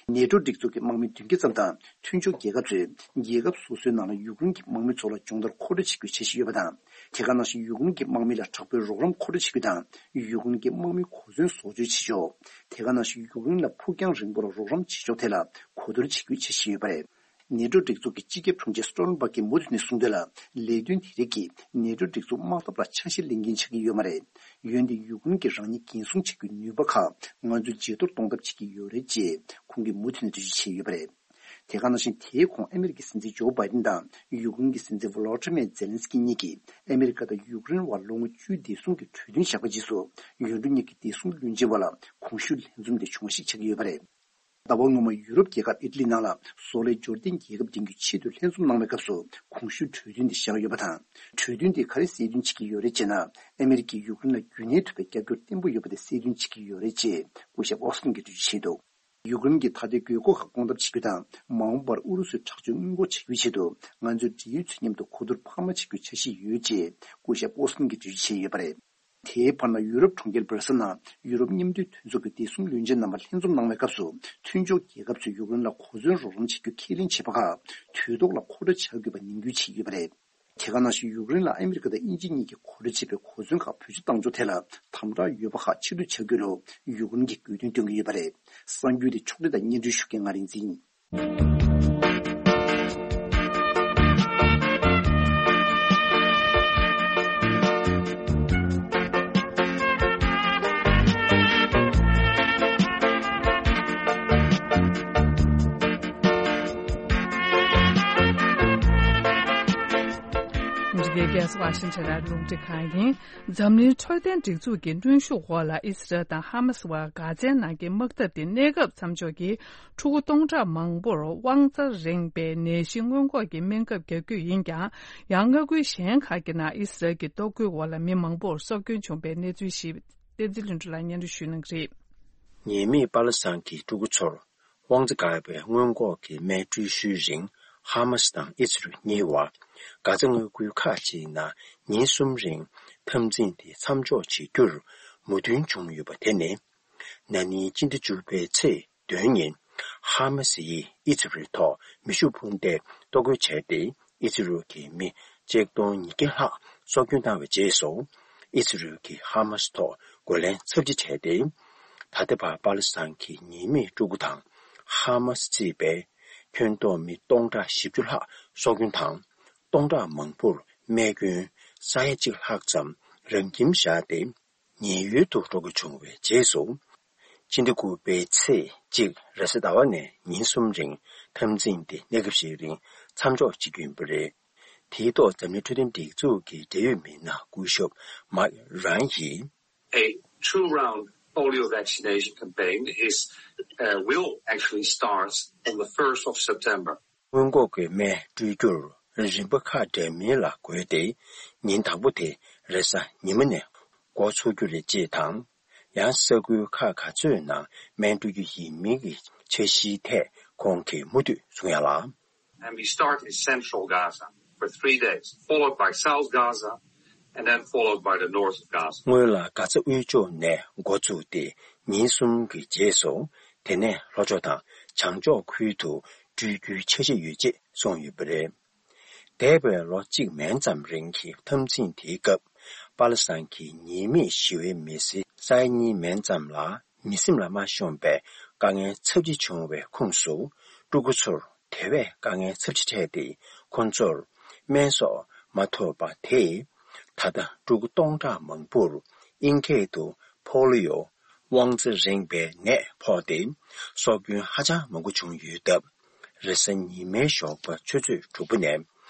ནེ་ཏྲོ་སྒྲིག་འཛུགས་ཀྱི་དམག་མི་བདུན་བརྒྱ་ཙམ་དང་མཐུན་ཕྱོགས་རྒྱལ་ཁབ་ཚོས་རྒྱལ་ཁབ་སོ་སོའི་ནང་ལ་ཡུཀ་རེན་གྱི་དམག་མི་ཚོ་ལ་སྦྱོང་བརྡར་མཁོ་སྤྲོད་བྱེད་རྒྱུའི་འཆར་གཞི་ཡོད་པ་དང་། དེ་ག་ནང་བཞིན་ཡུཀ་རེན་གྱི་དམག་མི་ལ་དྲག་པོའི་རོགས་རམ་མཁོ་སྤྲོད་བྱེད་རྒྱུ་དང་། ཡུཀ་རེན་གྱི་དམག་མིའི་གོ་མཚོན་བཟོ་བཅོས་བྱེད་ཕྱོགས། དེ་ག་ནང་བཞིན་ཡུཀ་རེན་ལ་ཕུགས་རྒྱང་རིང་པོ་ལ་རོགས་རམ་བྱེད་ཕྱོགས་ཐད་ལ་གོ་བསྡུར་བྱེད་རྒྱུའི་འཆར་གཞི་ཡོད་པ་རེད། ནེ་ཏྲོ་སྒྲིག་འཛུགས་ཀྱི་སྤྱི་ཁྱབ་དྲུང་ཆེ་སྟོ་ལན་སྦརག་གིས་མུ་མཐུད་ནས་གསུངས་དོན་ལ། ལས་དོན་དེ་རིགས་ཀྱིས་ནེ་ཏྲོ་སྒྲིག་འཛུགས་དམག་འཐབ་ལ་ཆ་ཤས་ལེན་མཁན་ཆགས་ཀྱི་ཡོད་མ་རེད། འོན་ཏེ་ཡུཀ་རེན་གྱིས་རང་ཉིད་འགན་སྲུང་བྱེད་རྒྱུའི་ནུས་པ་ཁག་ང་ཚོས་ཇེ་མཐོར་གཏོང་ཐབས་བྱེད་ཀྱི་ཡོད་རེད་ཅེས་ཁོང་གིས་མུ་མཐུད་ནས་འགྲེལ་བརྗོད་བྱས་ཡོད་པ་རེད། དེ་ག་ནང་བཞིན་དེའི་གོང་ཨ་མི་རི་ཀའི་སྲིད་འཛིན་ཇོ་བྷའི་ཏིན་དང་ཡུཀ་རེན་གྱི་སྲིད་འཛིན་ཝོ་ལོ་ཏི་མེར་ཛེ་ལན་སི་ཀི་གཉིས་ཀྱིས་ཨ་མི་རི་ཀ་དང་ཡུཀ་རེན་དབར་ལོ་ངོ་བཅུའི་བདེ་སྲུང་གི་གྲོས་མཐུན་བཞག་པའི་རྗེས་སུ་ཡུལ་གྲུ་གཉིས་ཀྱི་བདེ་སྲུང་བློན་ཆེན་བར་ལ་གོང་ཞུས་ལྷན་འཛོམས་དེ་བྱུང་བ་ཞིག་ཆགས་ཀྱི་ཡོད་པ་རེད། ཟླ་བ་སྔོན་མ་ཡུ་རོབ་རྒྱལ་ཁབ་ཨི་ཊ་ལི་ནང་ལ་བཟོ་ལས་འབྱོར་ལྡན་རྒྱལ་ཁབ་བསྟེན་རྒྱུའི་ཆེད་དུ་ལྷན་འཛོམས་གནང་བའི་སྐབས་སུ་གོང་ཞུས་གྲོས་མཐུན་དེ་བཞག་ཡོད་པ་དང་། གྲོས་མཐུན་དེ་ག་རེ་གསལ་སྟོན་བྱེད་ཀྱི་ཡོད་རེད་ཅེ་ན། ཨ་མི་རི་ཀས་ཡུཀ་རེན་ལ་རྒྱུན་གནས་ཐུབ་པའི་རྒྱབ་སྐྱོར་བརྟན་པོ་ཡོད་པ་དེ་གསལ་སྟོན་བྱེད་ཀྱི་ཡོད་རེད་ཅེས་སྐུ་ཞབས་ཨོ་སི་ཀིན་གྱིས་འགྲེལ་བརྗོད་བྱས་འདུག་ཡུཀ་རེན་གྱི་ཐ་དད་དགོས་མཁོ་ཁག་སྐོང་ཐབས་བྱེད་རྒྱུ་དང་། མ་འོངས་པར་ཨུ་རུ་སུའི་དྲག་སྤྱོད་སྔོན་འགོག་བྱ་རྒྱུའི་ཆེད་དུ་ང་ཚོས་འབྲེལ་ཡོད་ཚོའི་མཉམ་དུ་གོ་བསྡུར་འཕར་མ་བྱེད་རྒྱུའི་འཆར་གཞི་ཡོད་ཅེས་སྐུ་ཞབས་ཨོ་སི་ཀིན་གྱིས་འགྲེལ་བརྗོད་བྱས་ཡོད་པ་རེད། དེའི་བར་ན་ཡུ་རོབ་གྲོང་ཁྱེར་སྦར་སེལ་ནང་ཡུ་རོབ་མཉམ་འབྲེལ་མཐུན་ཚོགས་ཀྱི་བདེ་སྲུང་བློན་ཆེན་རྣམ་པ་ལྷན་འཛོམས་གནང་བའི་སྐབས་སུ། མཐུན་ཕྱོགས་རྒྱལ་ཁབ་ཚོས་ཡུཀ་རེན་ལ་གོ་མཚོན་རོགས་རམ་བྱ་རྒྱུ་ཁས་ལེན་བྱས་པ་ཁག་དུས་ཐོག་ལ་མཁོ་སྤྲོད་བྱ་དགོས་པ་ནན་སྐུལ་བྱས་ཡོད་པ་རེད། དེ་ག་ནང་བཞིན་ཡུཀ་རེན་ལ་ཨ་མི་རི་ཀ་དང་དབྱིན་ཇི་གཉིས་ཀྱིས་གོ་སྒྲིག་བྱས་པའི་གོ་མཚོན་ཁག་བེད་སྤྱོད་གཏང་ཕྱོགས་ཐད་ལ་དམ་དྲག་ཡོད་པ་ཁག་ཕྱིར་བསྡུ་བྱ་དགོས་ལུགས་ཡུཀ་རེན་གྱིས་དགོས་འདུན་བཏོན་གྱི་ཡོད་པ་རེད། གསར་འགྱུར་དེ་ཕྱོགས་སྒྲིག་དང་སྙན་སྒྲོན་ཞུ་མཁན་ང་རིག་འཛིན་ཡིན། འདི་གའི་རྒྱལ་ས་ཝ་ཤིང་ཊོན་ནས་རླུང་འཕྲིན་ཁང་ཡིན། འཛམ་གླིང་འཕྲོད་བསྟེན་སྒྲིག་འཛུགས་ཀྱི་གནོན་ཤུགས་འོག་ལ་ཨི་སི་རལ་དང་ཧ་མ་སི་བར་གྷ་ཛའི་ནང་གི་དམག་འཐབ་དེ་གནས་སྐབས་མཚམས་འཇོག་གིས་ཕྲུ་གུ་སྟོང་ཕྲག་མང་པོར་དབང་རྩ་རིང་པའི་ནད་གཞི་སྔོན་འགོག་གི་སྨན་ཁབ་རྒྱག་རྒྱུ་ཡིན་ཀྱང་། ཡང་མངའ་ཁུལ་གཞན་ཁག་གི་ནང་ཨི་སི་རལ་གྱི་གཏོར་རྒོལ་འོག་ལ་མི་མང་པོར་སྲོག་སྐྱོན་བྱུང་བའི་གནས་ཚུལ་ཞིག་བསྟན་འཛིན་ལྷུན་གྲུབ་ལགས་སྙན་སྒྲོན་ཞུ་གནང་གི་རེད། ཉེས་མེད་པ་ལག་སང་གི་ཕྲུ་གུ་ཚོར་དབང་རྩ་འགག་པའི་སྔོན་འགོག་གི་སྨན་སྤྲོད་ཤུལ་རིང་ཧ་མ་སི་དང་ཨི་སི་རལ་གཉིས་བར་གྷ་ཛ་མངའ་ཁུལ་ཁག་ཅིག་ནང་ཉིན་གསུམ་རིང་འཐབ་འཛིང་དེ་མཚམས་འཇོག་བྱེད་རྒྱུར་མོས་མཐུན་བྱུང་ཡོད་པ་དེ་ནི། ན་ནིང་སྤྱི་ཟླ་བཅུ་པའི་ཚེས་བདུན་ཉིན་ཧ་མ་སི་ཡིས་ཨི་སི་རལ་ཐོག་མེ་ཤུགས་འཕུར་མདེལ་གཏོར་རྒོལ་བྱས་ཏེ། ཨི་སི་རལ་གྱི་མི་ཆིག་སྟོང་ཉིས་བརྒྱ་ལྷག་སྲོག་སྐྱོན་བཏང་བའི་རྗེས་སུ། ཨི་སི་རལ་གྱིས་ཧ་མ་སི་ཐོག་རྒོལ་ལན་ཚབས་ཆེ་བྱས་ཏེ། ད་ལྟ་བར་པ་ལི་སི་ཐན་གྱི་ཉེས་མེད་ཕྲུ་གུ་དང་། ཧ་མ་སི་གཙོས་པའི་ཁྱོན་བསྡོམས་མི་སྟོང་ཕྲག་བཞི་བཅུ་ལྷག་སྲོག་སྐྱོན་དང་། སྟོང་ཕྲག་མང་པོར་རྨས་སྐྱོན། ས་ཡ་གཅིག་ལྷག་ཙམ་རང་ཁྱིམ་བཞག་སྟེ། ཉེན་གཡོལ་དུ་འགྲོ་དགོས་བྱུང་བའི་རྗེས་སུ། ཕྱི་ཟླ་དགུ་པའི་ཚེས་གཅིག་རེས་གཟའ་ཟླ་བ་ནས་ཉིན་གསུམ་རིང་འཐབ་འཛིང་དེ་གནས་སྐབས་ཤིག་རིང་མཚམས་འཇོག་བྱེད་རྒྱུ་ཡིན་པ་རེད། དེའི་ཐོག་འཛམ་གླིང་འཕྲོད་བསྟེན་སྒྲིག་འཛུགས་ཀྱི་འབྲེལ་ཡོད་མི་སྣ་སྐུ་ཞབས་Mike Ryan ཡིས། A two-round polio vaccination campaign is, uh, will actually start on the first of September. སྔོན་འགོག་གི་སྨན་སྤྲོད་རྒྱུར་རིམ་པ་ཁག་འདྲ་མིན་ལ་བགོས་ཏེ། ཉིན་དང་པོ་དེ་རེས་གཟའ་ཉི་མ་ནས་འགོ་ཚུགས་རྒྱུ་རེད་ཅེས་དང་། ཡང་ས་ཁུལ་ཁག་ག་ཚོད་ནང་སྨན་སྤྲོད་རྒྱུ་ཡིན་མིན་གྱི་འཆར་གཞིའི་ཐད་ཁོང་གིས་མུ་མཐུད་གསུང་ཡ་ལ། And we start in central Gaza for three days, followed by South Gaza, and then followed by the north of Gaza. སྔོན་ལ་གྷ་ཛ་དབུས་ཕྱོགས་ནས་འགོ་བཙུགས་ཏེ་ཉིན་གསུམ་གྱི་རྗེས་སུ། དེ་ནས་ལྷོ་ཕྱོགས་དང་བྱང་ཕྱོགས་ཁུལ་དུ་སྤྲོད་རྒྱུའི་འཆར་གཞི་ཡོད་ཅེས་གསུངས་ཡོད་པ་རེད། འདས་པའི་ལོ་གཅིག་མན་ཙམ་རིང་གི་འཐབ་འཛིང་དེའི་སྐབས། པ་ལི་སི་ཐན་གྱི་ཉེས་མེད་ཞི་བའི་མི་སེར་ས་ཡ་གཉིས་མན་ཙམ་ལ་མི་སེམས་ལ་མ་ཤོང་པའི་དཀའ་ངལ་ཚབས་ཆེ་བྱུང་བའི་ཁོངས་སུ། སྤྲུལ་སྐུ་ཚོར་དེ་བས་དཀའ་ངལ་ཚབས་ཆེ་འཕྲད་དེ། ཁོང་ཚོར་སྨན་སོགས་མ་ཐོབ་པ་དེས། ད་ལྟ་སྤྲུལ་སྐུ་སྟོང་ཕྲག་མང་པོར་དབྱིན་སྐད་དུ་པོ་ལི་ཡོ། དབང་རྩ་རེངས་པའི་ནད་ཕོག་སྟེ། སྲོག་སྐྱོན་ཧ་ཅང་མང་པོ་བྱུང་ཡོད་སྟབས། རེས་གཟའ་ཉི་མའི་ཞོགས་པ་ཆུ་ཚོད་དྲུག་པ་ནས་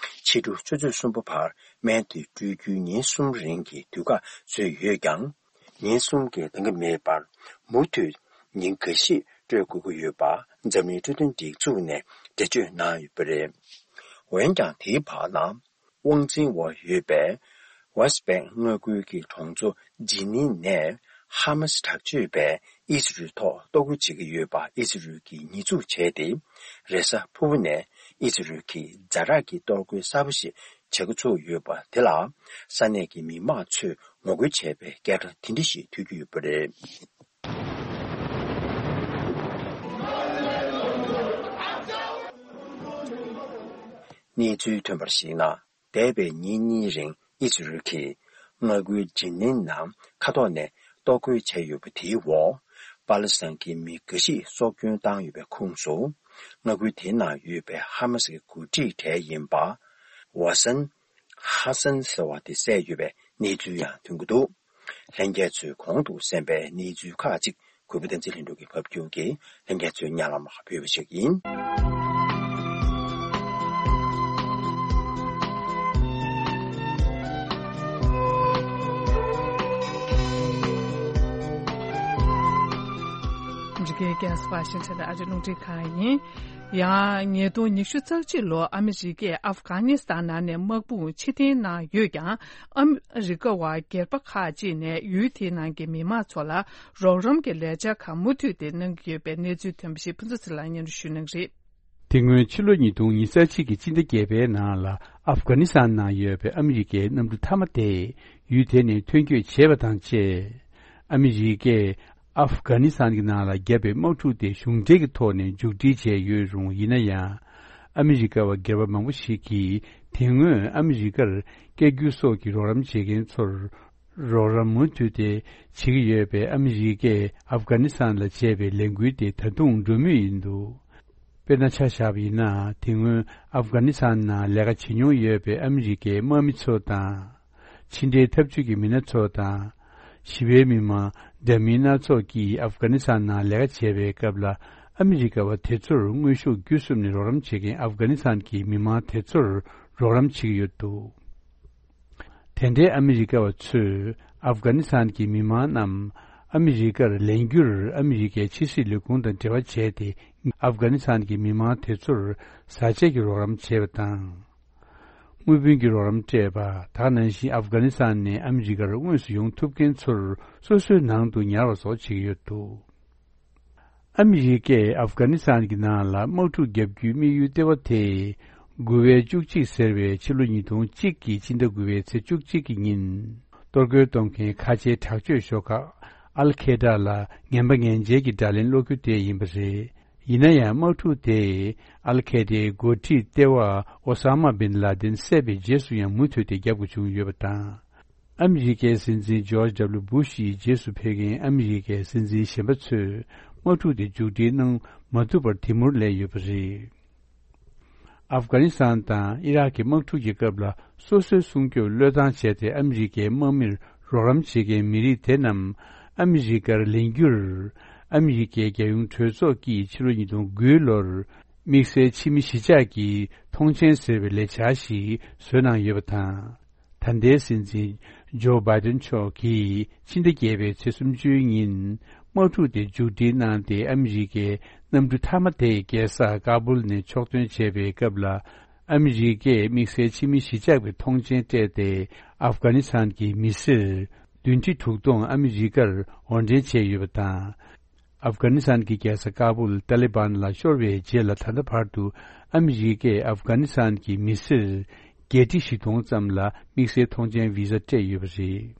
ཕྱི་དྲོ་ཆུ་ཚོད་གསུམ་པ་བར་སྨན་དེ་སྤྲོད་རྒྱུའི་ཉིན་གསུམ་རིང་གི་དུས་བཀག་བཟོས་ཡོད་ཀྱང་། ཉིན་གསུམ་གྱི་འདང་གི་མེད་པར་མུ་མཐུད་ཉིན་འགའ་ཤས་སྤྲོད་དགོས་ཀྱི་ཡོད་པ། འཛམ་གླིང་འཕྲོད་བསྟེན་སྒྲིག་འཛུགས་ནས་འགྲེལ་བརྗོད་གནང་ཡོད་པ་རེད། འོན་ཀྱང་། དེའི་བར་ན། དབང་འཛིན་འོག་ཡོད་པའི་ཝེ་སི་ཊི་བེང་མངའ་ཁུལ་གྱི་གྲོང་ཚོ་ཇི་ནིན་ནས་ཧ་མ་སི་དྲག་སྤྱོད་པས་ཨི་ཟི་རལ་ཐོག་གཏོར་རྒོལ་བྱེད་ཀྱི་ཡོད་པ་ཨི་ཟི་རལ་གྱིས་ཉེས་འཛུགས་བྱས་ཏེ། རེས་གཟའ་ཕུར་བུ་ནས་ཨི་ཟི་རལ་གྱིས་ཛ་དྲག་གི་གཏོར་རྒོལ་གསར་པ་ཞིག་བྱེད་འགོ་ཚུགས་ཡོད་པ་དེ་ལ། ས་གནས་ཀྱི་མི་མང་ཚོས་ངོ་རྒོལ་བྱས་པའི་སྐད་སྒྲ་དེ་འདྲ་ཞིག་ཐོས་རྒྱུ་ཡོད་པ་རེད། གནས་ཚུལ་ཐོན་པར་གཞིགས་ན། འདས་པའི་ཉིན་གཉིས་རིང་ཨི་ཟི་རལ་གྱིས་མངའ་ཁུལ་ཇི་ནིན་ནང་མཁའ་ཐོག་ནས་གཏོར་རྒོལ་བྱས་ཡོད་པ་དེའི་འོག་པ་ལི་སི་ཐན་གྱི་མི་འགའ་ཞིག་སྲོག་སྐྱོན་བཏང་ཡོད་པའི་ཁོངས་སུ། མངའ་ཁུལ་དེའི་ནང་ཡོད་པའི་ཧ་མ་སི་གི་འགོ་ཁྲིད་གྲས་ཡིན་པ། ཝ་སན། ཧ་སན་ཟེར་བ་དེ་བསད་ཡོད་པའི་གནས་ཚུལ་ཡང་ཐོན་གྱི་འདུག་ལྷན་རྒྱས་ཚོས་གོང་དུ་གསན་པའི་གནས་ཚུལ་ཁག་ཅིག་གུས་པ་བསྟན་འཛིན་ལྷུན་གྲུབ་ཀྱིས་ཕབ་སྒྱུར་གྱིས་ལྷན་རྒྱས་ཚོའི་སྙན་ལམ་ལ་ཕུལ་བ་ཞིག་ཡིན། འདི་གའི་རྒྱལ་ས་ཝ་ཤིང་ཊོན་དང་ཨ་རི་རླུང་འཕྲིན་ཁང་ཡིན། ཡང་ཉིས་སྟོང་ཉི་ཤུ་རྩ་གཅིག་ལོར་ཨ་མི་རི་ཀས་ཨབ་གྷ་ནི་སི་ཐན་ནང་ནས་དམག་དཔུང་ཕྱིར་འཐེན་གནང་ཡོད་ཀྱང་། ཨ་མི་རི་ཀ་བ་སྒེར་པ་ཁག་ཅིག་ནས་ཡུལ་དེའི་ནང་གི་མི་མང་ཚོ་ལ་རོགས་རམ་གྱི་ལས་འཆར་ཁག་མུ་མཐུད་དེ་གནང་གི་ཡོད་པའི་གནས་ཚུལ་ཐོན་པ་ཞིག་ཕུན་ཚོགས་ཚེ་རིང་ལགས་སྙན་སྒྲོན་ཞུ་གནང་གི་རེད། དེ་སྔོན་ཕྱི་ལོ་ཉིས་སྟོང་ཉི་ཤུ་རྩ་གཅིག་གི་སྤྱི་ཟླ་བརྒྱད་པའི་ནང་ལ་ཨབ་གྷ་ནི་སི་ཐན་ནང་ཡོད་པའི་ཨ་མི་རི་ཀའི་གནམ་གྲུ་མཐའ་མ་དེ་ཡུལ་དེ་ནས་ཐོན་སྐྱོད་བྱས་པ་དང་བཅས། ཨ་མི་རི་ཀས་ཨབ་གྷ་ནི་སི་ཐན་གྱི་ནང་ལ་བརྒྱབ་པའི་དམག་འཁྲུག་དེ་གཞུང་འབྲེལ་གྱི་ཐོག་ནས་མཇུག་སྒྲིལ་བྱས་ཡོད་རུང་། ཡིན་ན་ཡང་། ཨ་མི་རི་ཀ་བ་སྒེར་པ་མང་པོ་ཞིག་གིས་དེ་སྔོན་ཨ་མི་རི་ཀར་སྐད་སྒྱུར་སོགས་ཀྱི་རོགས་རམ་བྱེད་མཁན་ཚོར་རོགས་རམ་མུ་མཐུད་དེ་བྱེད་ཀྱི་ཡོད་པས། ཨ་མི་རི་ཀས་ཨབ་གྷ་ནི་སི་ཐན་ལ་བྱས་པའི་ལས་འགུལ་དེ་ད་དུང་འགྲོ་མུས་ཡིན་འདུག་དཔེར་ན་ཆ་བཞག་པ་ཡིན་ན། དེ་སྔོན་ཨབ་གྷ་ནི་སི་ཐན་ནང་ལས་ཀ་བྱེད་མྱོང་ཡོད་པའི་ཨ་མི་རི་ཀའི་དམག་མི་ཚོ་དང་། ཕྱི་འབྲེལ་འཐབ་ཇུས་ཀྱི་མི་སྣ་ཚོ་དང་། ཞི་བའི་མི་མང་འདྲ་མིན་སྣ་ཚོགས་ཀྱིས་ཨབ་གྷ་ནི་སི་ཐན་ནང་ལས་ཀ་བྱེད་པའི་སྐབས་ལ། ཨ་མི་རི་ཀ་བ་དེ་ཚོར་དངོས་ཤུགས་བརྒྱུད་གསུམ་ནས་རོགས་རམ་བྱེད་མཁན་ཨབ་གྷ་ནི་སི་ཐན་གྱི་མི་མང་དེ་ཚོར་རོགས་རམ་བྱེད་ཀྱི་ཡོད་འདུག་དེ་འདྲའི་ཨ་མི་རི་ཀ་བ་ཚོས་ཨབ་གྷ་ནི་སི་ཐན་གྱི་མི་མང་རྣམས་ཨ་མི་རི་ཀར་ལེན་རྒྱུར། ཨ་མི་རི་ཀའི་ཕྱི་སྲིད་ལས་ཁུངས་དང་འབྲེལ་བ་བྱས་ཏེ། ཨབ་གྷ་ནི་སི་ཐན་གྱི་མི་མང་དེ་ཚོར་བཟའ་ཆས་ཀྱི་རོགས་རམ་བྱས་པ་དང་། དངུལ་བུན་གྱི་རོགས་རམ་སྤྲད་པ། དེ་ནང་བཞིན་ཨབ་གྷ་ནི་སི་ཐན་ནས་ཨ་མི་རི་ཀར་དངོས་སུ་ཡོང་ཐུབ་མཁན་ཚོར་སོ་སོའི་ནང་དུ་ཉར་བ་སོགས་བྱེད་ཀྱི་ཡོད་འདུག་ཨ་མི་རི་ཀས་ཨབ་གྷ་ནི་སི་ཐན་གྱི་ནང་ལ་དམག་འཁྲུག་བརྒྱབ་རྒྱུའི་དམིགས་ཡུལ་ལྟེ་བ་དེ། དགུ་པའི་བཅུ་གཅིག་ཟེར་བའི་ཕྱི་ལོ་ཉིས་སྟོང་གཅིག་གི་སྤྱི་ཟླ་དགུ་པའི་ཚེས་བཅུ་གཅིག་གི་ཉིན། གཏོར་རྒོལ་གཏོང་མཁན་ཁ་ཆེའི་དྲག་སྤྱོད་ཤོག་ཁག་ཨལ་ཁེ་ད་ལ་ངན་པ་ངན་འཇལ་གྱི་དགྲ་ལན་སློག་རྒྱུ་དེ་ཡིན་པ་རེད། ཡིན་ན་ཡང་། དམག་འཁྲུག་དེས་ཨལ་ཁེ་ད་འགོ་ཁྲིད་ལྟེ་བ་ཨོ་ས་མ་བིན་ལ་དིན་བསད་པའི་རྗེས་སུ་ཡང་མུ་མཐུད་དེ་རྒྱབ་དགོས་བྱུང་ཡོད་པ་དང་། ཨ་མི་རི་ཀའི་སྲིད་འཛིན་ཇོརྗ་ཌབ་ལུ་བུ་ཤི་ཡི་རྗེས་སུ་ཕེབས་མཁན་ཨ་མི་རི་ཀའི་སྲིད་འཛིན་གཞན་པ་ཚོས་དམག་འཁྲུག་དེ་མཇུག་སྒྲིལ་གནང་མ་ཐུབ་པར་དེ་མུར་སླེབས་ཡོད་པ་རེད། ཨབ་གྷ་ནི་སི་ཐན་དང་ཨི་རག་གི་དམག་འཁྲུག་གི་སྐབས་ལ་སོ་སོའི་སྲུང་སྐྱོབ་བློས་བཏང་བྱས་ཏེ། ཨ་མི་རི་ཀའི་དམག་མིར་རོགས་རམ་བྱེད་མཁན་མི་རིགས་དེ་རྣམས་ཨ་མི་རི་ཀར་ལེན་རྒྱུར། ཨ་མི་རི་ཀའི་རྒྱལ་ཡོངས་གྲོས་ཚོགས་ཀྱིས་ཕྱི་ལོ་ཉིས་སྟོང་དགུ་ལོར་དམིགས་བསལ་ཕྱི་མི་གཞིས་ཆགས་ཀྱི་ཐོངས་མཆན་ཟེར་བའི་ལས་འཆར་ཞིག་བཟོས་གནང་ཡོད་པ་དང་། ད་ལྟའི་སྲིད་འཛིན་ཇོ་བྷའི་ཏིན་མཆོག་གིས་ཕྱི་ཟླ་བརྒྱད་པའི་ཚེས་སུམ་ཅུའི་ཉིན་དམག་འཁྲུག་དེ་མཇུག་སྒྲིལ་གནང་སྟེ། ཨ་མི་རི་ཀའི་གནམ་གྲུ་མཐའ་མ་དེ་རྒྱལ་ས་ཀ་སྦུལ་ནས་ཕྱོགས་ཐོན་བྱས་པའི་སྐབས་ལ། ཨ་མི་རི་ཀས་དམིགས་བསལ་ཕྱི་མི་གཞིས་ཆགས་ཀྱི་ཐོངས་མཆན་སྤྲད་དེ། ཨབ་གྷ་ནི་སི་ཐན་གྱི་མི་སེར་བདུན་ཁྲི་དྲུག་སྟོང་ཨ་མི་རི་ཀར་དབོར་འདྲེན་བྱས་ཡོད་པ་དང་། ཨབ་གྷ་ནི་སི་ཐན་གྱི་རྒྱལ་ས་ཀ་བུལ་ཏཱ་ལི་བན་ལ་ཤོར་བའི་རྗེས་ལ་ད་ལྟ་བར་དུ་ཨ་མི་རི་ཀས་ཨབ་གྷ་ནི་སི་ཐན་གྱི་མི་སེར་བརྒྱད་ཁྲི་བཞི་སྟོང་ཙམ་ལ་དམིགས་བསལ་ཐོངས་མཆན་བི་ཟ་སྤྲད་ཡོད་པ་རེད།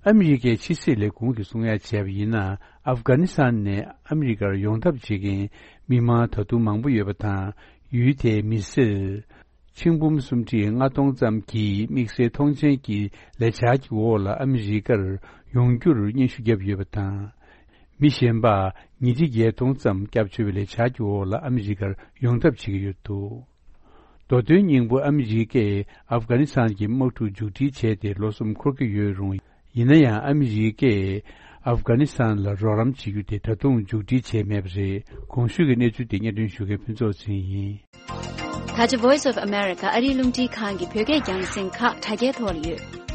ཨ་མི་རི་ཀའི་ཕྱི་སྲིད་ལས་ཁུངས་ཀྱིས་གསུང་ཡ་བྱས་པ་ཡིན་ན། ཨབ་གྷ་ནི་སི་ཐན་ནས་ཨ་མི་རི་ཀར་ཡོང་ཐབས་བྱེད་མཁན་མི་མང་ད་དུང་མང་པོ་ཡོད་པ་དང་། ཡུལ་དེའི་མི་སེར་ཆིག་འབུམ་སུམ་ཁྲི་ལྔ་སྟོང་ཙམ་གྱིས་དམིགས་བསལ་ཐོངས་མཆན་གྱི་ལས་འཆར་གྱི་འོག་ལ་ཨ་མི་རི་ཀར་ཡོང་རྒྱུར་སྙན་ཞུ་བརྒྱབ་ཡོད་པ་དང་། མི་གཞན་པ་ཉིས་ཁྲི་བརྒྱད་སྟོང་ཙམ་སྐྱབས་བཅོལ་བའི་ལས་འཆར་གྱི་འོག་ལ་ཨ་མི་རི་ཀར་ཡོང་ཐབས་བྱེད་ཀྱི་ཡོད་འདུག། མདོ་དོན་སྙིང་པོ། ཨ་མི་རི་ཀས་ཨབ་གྷ་ནི་སི་ཐན་གྱི་དམག་འཁྲུག་མཇུག་སྒྲིལ་བྱས་ཏེ་ལོ་གསུམ་འཁོར་གྱི་ཡོད་རུང་། ཡིན་ན་ཡང་ཨ་མི་རི་ཀས་ཨབ་གྷ་ནི་སི་ཐན་ལ་རོགས་རམ་བྱེད་རྒྱུ་དེ་ད་དུང་མཇུག་སྒྲིལ་བྱས་མེད་པ་རེད། གོང་ཞུས་ཀྱི་གནས་ཚུལ་དེ་སྙན་སྒྲོན་ཞུ་མཁན་ཕུན་ཚོགས་ཚེ་རིང་ཡིན། ད་ཆ་Voice of America ཨ་རིའི་རླུང་འཕྲིན་ཁང་གི་བོད་སྐད་རྒྱང་སྲིང་ཁག་དྲ་རྒྱའི་ཐོག་ལ་ཡོད།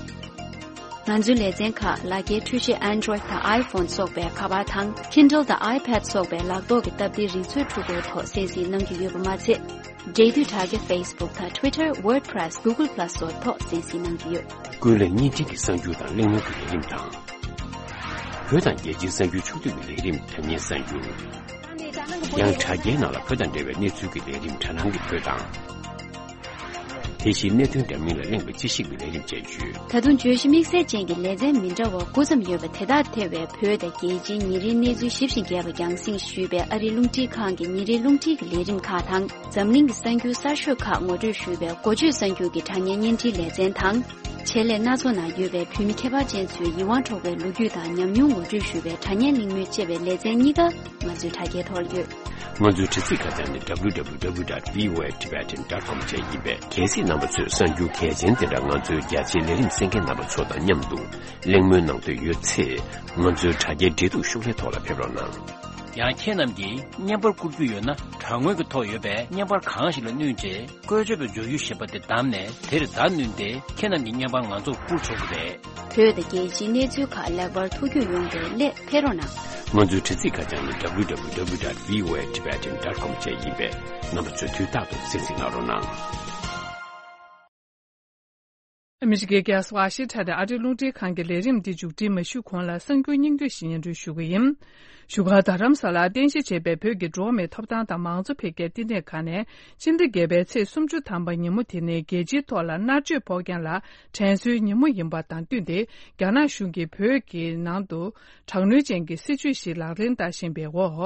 ང་ཚོའི་ལེ་ཚན་ཁག་ལག་འཁྱེར་འཕྲུལ་ཆས་Android དང་iPhone སོགས་པའི་ཁ་པར་དང་Kindle དང་iPad སོགས་པའི་ལག་ཐོག་གི་སྟབས་བདེའི་རིག་མཛོད་འཕྲུལ་འཁོར་ཐོག་གསན་གཟིགས་གནང་གི་ཡོད་པ་མ་ཚད། འབྲེལ་མཐུད་དྲ་རྒྱ་Facebook དང་Twitter, WordPress, Google Plus སོགས་ཐོག་གསན་གཟིགས་གནང་གི་ཡོད། ཀུན་གླེང་བརྙན་འཕྲིན་གྱི་གསར་འགྱུར་དང་གླེང་མོལ་གྱི་ལས་རིམ་དང་། བོད་དང་རྒྱལ་སྤྱིའི་གསར་འགྱུར་ཕྱོགས་བསྡུས་ཀྱི་ལས་རིམ་དྲ་བརྙན་གསར་འགྱུར། ཡང་དྲ་རྒྱའི་ནང་ལ་བོད་དང་འབྲེལ་བའི་གནས་ཚུལ་གྱི་ལས་རིམ་དྲ་སྣང་གི་བོད་དང་། དེ་བཞིན་གནད་དོན་འདྲ་མིན་ལ་གླེང་བའི་དཔྱད་ཞིབ་ཀྱི་ལས་རིམ་བཅས་ཡོད། ད་དུང་བརྗོད་གཞི་དམིགས་བསལ་ཅན་གྱི་ལེ་ཚན་མི་འདྲ་བ་དགུ་ཙམ་ཡོད་པ་དེ་དག་ཐེ་བའི་བོད་དང་རྒྱལ་སྤྱིའི་ཉིན་རེའི་གནས་ཚུལ་ཞིབ་ཅིང་རྒྱས་པ་རྒྱང་སྲིང་ཞུས་པའི་ཨ་རིའི་རླུང་འཕྲིན་ཁང་གི་ཉིན་རེའི་རླུང་འཕྲིན་གྱི་ལས་རིམ་ཁག་དང་། འཛམ་གླིང་གི་གསར་འགྱུར་གསར་ཤོས་ཁག་ངོ་སྤྲོད་ཞུས་པའི་འགོ་བརྗོད་གསར་འགྱུར་གྱི་དྲ་བརྙན་བརྙན་འཕྲིན་ལེ་ཚན་དང་། ཆེད་ལས་སྣ་ཚོགས་ནང་ཡོད་པའི་བོད་མི་ཁྱད་པར་ཅན་ཚོའི་ཡིད་དབང་འཕྲོག་པའི་ལོ་རྒྱུས་དང་ཉམས་མྱོང་ངོ་སྤྲོད་ཞུ་བའི་དྲ་བརྙན་གླེང་མོལ་བཅས་པའི་ལེ་ཚན་གཉིས་ཀ་ང་ཚོའི་དྲ་རྒྱའི་ཐོག་ལ་ཡོད། ང་ཚོའི་དྲ་ཚིགས་ཁ་བྱང་ནི་W W W dot V O A Tibetan dot com བཅས་ཡིན་པས། གལ་སྲིད་རྣམ་པ་ཚོས་གསར་འགྱུར་གལ་ཆེན་དེ་འདྲ་ང་ཚོའི་རྒྱ་ཆེའི་ལས་རིམ་གསན་མཁན་རྣམ་པ་ཚོ་དང་མཉམ་དུ་གླེང་མོལ་གནང་འདོད་ཡོད་ཚེ། ང་ཚོའི་དྲ་རྒྱའི་འབྲེལ་གཏུག་ཤོག་ལྷེ་ཐོག་ལ་ཕེབས་རོགས་གནང་། ཡང་ཁྱེད་རྣམས་ཀྱིས་བརྙན་པར་བསྐུར་རྒྱུ་ཡོད་ན། དྲ་ངོས་ཀྱི་ཐོག་ཡོད་པའི་བརྙན་པར་གང་ཞིག་ལ་བསྣུན་རྗེས། བཀོལ་སྤྱོད་པའི་སྦྱོར་ཡུལ་ཞེས་པ་དེ་བདམས་ནས། དེར་བརྡ་བསྣུན་ཏེ། ཁྱེད་རྣམས་ཀྱི་བརྙན་པར་ང་ཚོར་བསྐུར་ཆོག་གི་རེད། བོད་དང་རྒྱལ་སྤྱིའི་གནས་ཚུལ་ཁག་ལེགས་པར་ཐུགས་རྒྱུས་ཡོང་བའི་སླད་ཕེབས་རོགས་གནང་། ང་ཚོའི་དྲ་ཚིགས་ཁ་བྱང་ནི་W W W dot V O A Tibetan dot com བཅས་ཡིན་པས། རྣམ་པ་ཚོས་དུས་རྟག་ཏུ་གསན་གཟིགས་གནང་རོགས་གནང་། ཨ་མི་རི་ཀའི་རྒྱལ་ས་ཝ་ཤིང་ཊོན་ནས་ཨ་རིའི་རླུང་འཕྲིན་ཁང་གི་ལས་རིམ་འདི་མཇུག་སྒྲིལ་མ་ཞུས་གོང་ལ་གསར་འགྱུར་སྙིང་བསྡུས་ཤིག་སྙན་སྒྲོན་ཞུ་གི་ཡིན། བཞུགས་སྒར་རྡ་རམ་ས་ལར་རྟེན་གཞི་བྱས་པའི་བོད་ཀྱི་འགྲོ་བ་མིའི་ཐོབ་ཐང་དང་མང་གཙོ་འཕེལ་རྒྱས་བསྟི་གནས་ཁང་ནས་སྤྱི་ཟླ་བརྒྱད་པའི་ཚེས་སུམ་ཅུ་ཐམ་པ་ཉིན་མོ་དེ་ནི་རྒྱལ་སྤྱིའི་ཐོག་ལ་མནར་གཅོད་ཕོག་མཁན་ལ་དྲན་གསོའི་ཉིན་མོ་ཡིན་པ་དང་བསྟུན་ཏེ། རྒྱ་ནག་གཞུང་གིས་བོད་ཀྱི་ནང་དུ་དྲག་གནོན་ཅན་གྱི་སྲིད་བྱུས་ཤིག་ལག་ལེན་བསྟར་བཞིན་པའི་འོག་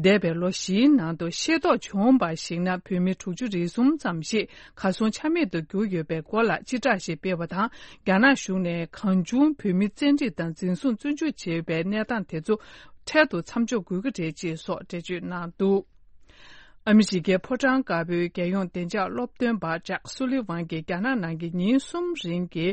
འདས་པའི་ལོ་བཞིའི་ནང་དུ་ཤེས་རྟོགས་བྱུང་བར་གཞིགས་ན། བོད་མི་དྲུག་ཅུ་རེ་གསུམ་ཙམ་ཞིག་གར་སོང་ཆ་མེད་དུ་གྱུར་ཡོད་པའི་སྐོར་ལ་སྤྱི་བསྒྲགས་ཤིག་སྤེལ་བ་དང་། རྒྱ་ནག་གཞུང་ནས་གང་བྱུང་བོད་མི་བཙན་ཁྲིད་དང་འཛིན་བཟུང་བཙོན་འཇུག་བྱས་པའི་གནས་སྟངས་དེ་ཚོ་འཕྲལ་དུ་མཚམས་འཇོག་དགོས་ཀྱི་རེད་ཅེས་སོགས་འགྲེལ་བརྗོད་གནང་འདུག། ཨ་མི་རི་ཀའི་ཕོ་བྲང་དཀར་པོའི་རྒྱལ་ཡོངས་བདེ་འཇགས་སློབ་སྟོན་པ་ཇག་སུ་ལི་ཝན་གྱིས་རྒྱ་ནག་ནང་གི་ཉིན་གསུམ་རིང་གི་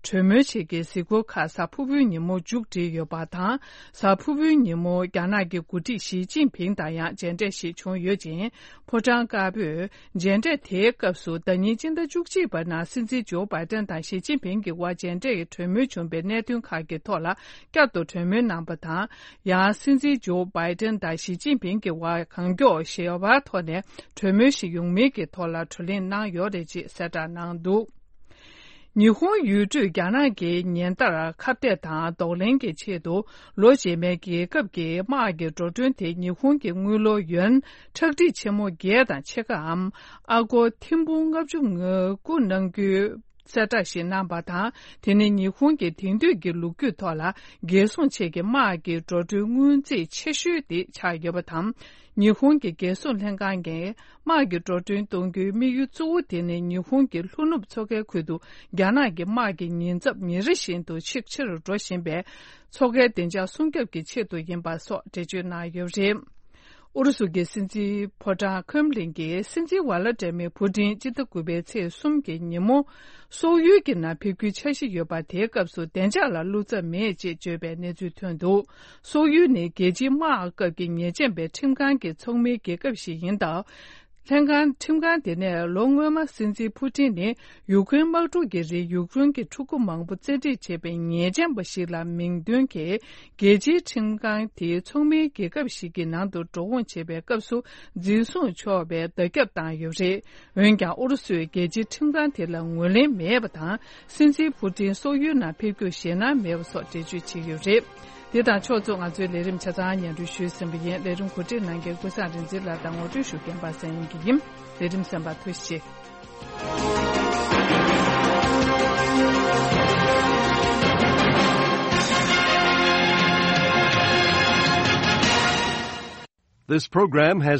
གྲོས་མོལ་ཆེད་ཀྱི་གཟིགས་སྐོར་ཁག་གཟའ་ཕུར་བུའི་ཉིན་མོ་མཇུག་སྒྲིལ་ཡོད་པ་དང་། གཟའ་ཕུར་བུའི་ཉིན་མོ་རྒྱ་ནག་གི་འགོ་ཁྲིད་ཞི་ཅིན་ཕིང་དང་ཡང་མཇལ་འཕྲད་ཞིག་བྱུང་ཡོད་ཅིང་། ཕོ་བྲང་དཀར་པོས་མཇལ་འཕྲད་དེའི་སྐབས་སུ། ཟླ་ཉིན་སྤྱི་ཟླ་བཅུ་གཅིག་པའི་ནང་སྲིད་འཛིན་ཇོ་བྷའི་ཏན་དང་ཞི་ཅིན་ཕིང་གི་དབར་མཇལ་འཕྲད་ཀྱི་གྲོས་མོལ་བྱུང་བའི་གནད་དོན་ཁག་གི་ཐོག་ལ་བསྐྱར་དུ་གྲོས་མོལ་གནང་པ་དང་། ཡང་སྲིད་འཛིན་ཇོ་བྷའི་ཏན་དང་ཞི་ཅིན་ཕིང་གི་དབར་གང་མགྱོགས་ཞི་བའི་ཐོག་ནས་གྲོས་མོལ་ཞིག་ཡོང་མིན་གྱི་ཐོག་ལ་བགྲོ་གླེང་གནང་ཡོད་རེད་ཅེས་གསལ་བསྒྲགས་གནང་འདུག། ཉི་ཧོང་ཡུལ་གྲུས་རྒྱ་ནག་གི་ཉེན་བརྡར་ཁ་གཏད་དང་གདོང་ལེན་གྱི་ཆེད་དུ། ལོ་རྗེས་མའི་རྒྱལ་ཁབ་ཀྱི་དམག་གི་འགྲོ་གྲོན་དེ་ཉི་ཧོང་གི་དངུལ་ལོར་ཡོན་ཁྲག་ཁྲིག་ཆེན་མོ་བརྒྱད་དང་ཕྱེད་ཀའམ། ཨ་སྒོར་ཐེར་འབུམ་ལྔ་བཅུ་ང་དགུ་གནང་རྒྱུའི་གསལ་བསྒྲགས་ཤིག་གནང་པ་དང་། དེ་ནི་ཉི་ཧོང་གི་དེང་དུས་ཀྱི་ལོ་རྒྱུས་ཐོག་ལ་རྒྱལ་སྲུང་ཆེད་ཀྱི་དམག་གི་འགྲོ་གྲོན་སྔོན་རྩིས་ཆེ་ཤོས་དེ་ཆགས་ཡོད་པ་དང་། ཉི་ཧོང་གི་རྒྱལ་སྲུང་ལྷན་ཁང་གིས་དམག་གི་འགྲོ་གྲོན་གཏོང་རྒྱུའི་དམིགས་ཡུལ་གཙོ་བོ་དེ་ནི་ཉི་ཧོང་གི་ལྷོ་ནུབ་མཚོ་ཁའི་ཁུལ་དུ་རྒྱ་ནག་གི་དམག་གི་ཉེན་ཚབས་ཉིན་རེ་བཞིན་དུ་ཆེ་རུ་ཆེ་རུ་འགྲོ་བཞིན་པའི་མཚོ་ཁའི་བདེ་འཇགས་སྲུང་སྐྱོབ་ཀྱི་ཆེད་དུ་ཡིན་པ་སོགས་འགྲེལ་བརྗོད་གནང་ཡོད་པ་རེད། ཨུ་རུ་སུ་གི་སྲིད་འཛིན་ཕོ་བྲང་ཁྲེམ་ལིན་གྱིས་སྲིད་འཛིན་ཝ་ལ་ཏྲ་མི་ཕུ་ཏིན་སྤྱི་ཟླ་དགུ་པའི་ཚེས་གསུམ་གྱི་ཉིན་མོ་སོག་ཡུལ་གྱི་ནང་ཕེབས་རྒྱུའི་འཆར་གཞི་ཡོད་པ། དེའི་སྐབས་སུ་བདེ་འཇགས་ལ་བློ་འཚབ་མེད་ཅེས་བརྗོད་པའི་གནས་ཚུལ་ཐོན་འདུག། སོག་ཡུལ་ནི་རྒྱལ་སྤྱིའི་དམག་སྐབས་ཀྱི་ཉེས་ཅན་པའི་ཁྲིམས་ཁང་གི་ཚོགས་མིའི་རྒྱལ་ཁབ་ཞིག་ཡིན་སྟབས། ལྷན་ཁང་ཁྲིམས་ཁང་དེ་ནས་ལོ་སྔོན་མ་སྲིད་འཛིན་ཕུ་ཏིན་ནི་ཡུཀ་རེན་དམག་འཁྲུག་གི་རིང་ཡུཀ་རེན་གྱི་ཕྲུ་གུ་མང་པོ་བཙན་ཁྲིད་བྱས་པའི་ཉེས་ཅན་པ་ཞིག་ལ་མིང་འདོན་གྱིས། རྒྱལ་སྤྱིའི་ཁྲིམས་ཁང་དེའི་ཚོགས་མིའི་རྒྱལ་ཁབ་ཞིག་གི་ནང་དུ་འགྲོ་འོང་བྱེད་པའི་སྐབས་སུ་འཛིན་བཟུང་ཆོག་པའི་བརྡ་ཁྱབ་བཏང་ཡོད་པ་རེད། འོན་ཀྱང་ཨུ་རུ་སུས་རྒྱལ་སྤྱིའི་ཁྲིམས་ཁང་དེ་ལ་ངོས་ལེན་མེད་པ་དང་། སྲིད་འཛིན་ཕུ་ཏིན་སོག་ཡུལ་ནང་ཕེབས་རྒྱུར་ཞེད་སྣང་མེད་པ་སོགས་འགྲེལ་བརྗོད་བྱས་ཡོད་པ་རེད། འདི་དང་ཕྱོགས་མཚུངས་ང་ཚོའི་ལས་རིམ་ཆ་ཚང་སྙན་སྒྲོན་ཞུས་ཟིན་པ་ཡིན། ལས་རིམ་གོ་སྒྲིག་གནང་མཁན་ཀུན་བཟང་རིག་འཛིན་ལགས་དང་ངོ་སྤྲོད་ཞུ་མཁན་པ་སངས་དབྱངས་སྐྱིད་ཡིན། ལས་རིམ་གསན་པར་ཐུགས་རྗེ་ཆེ། This program has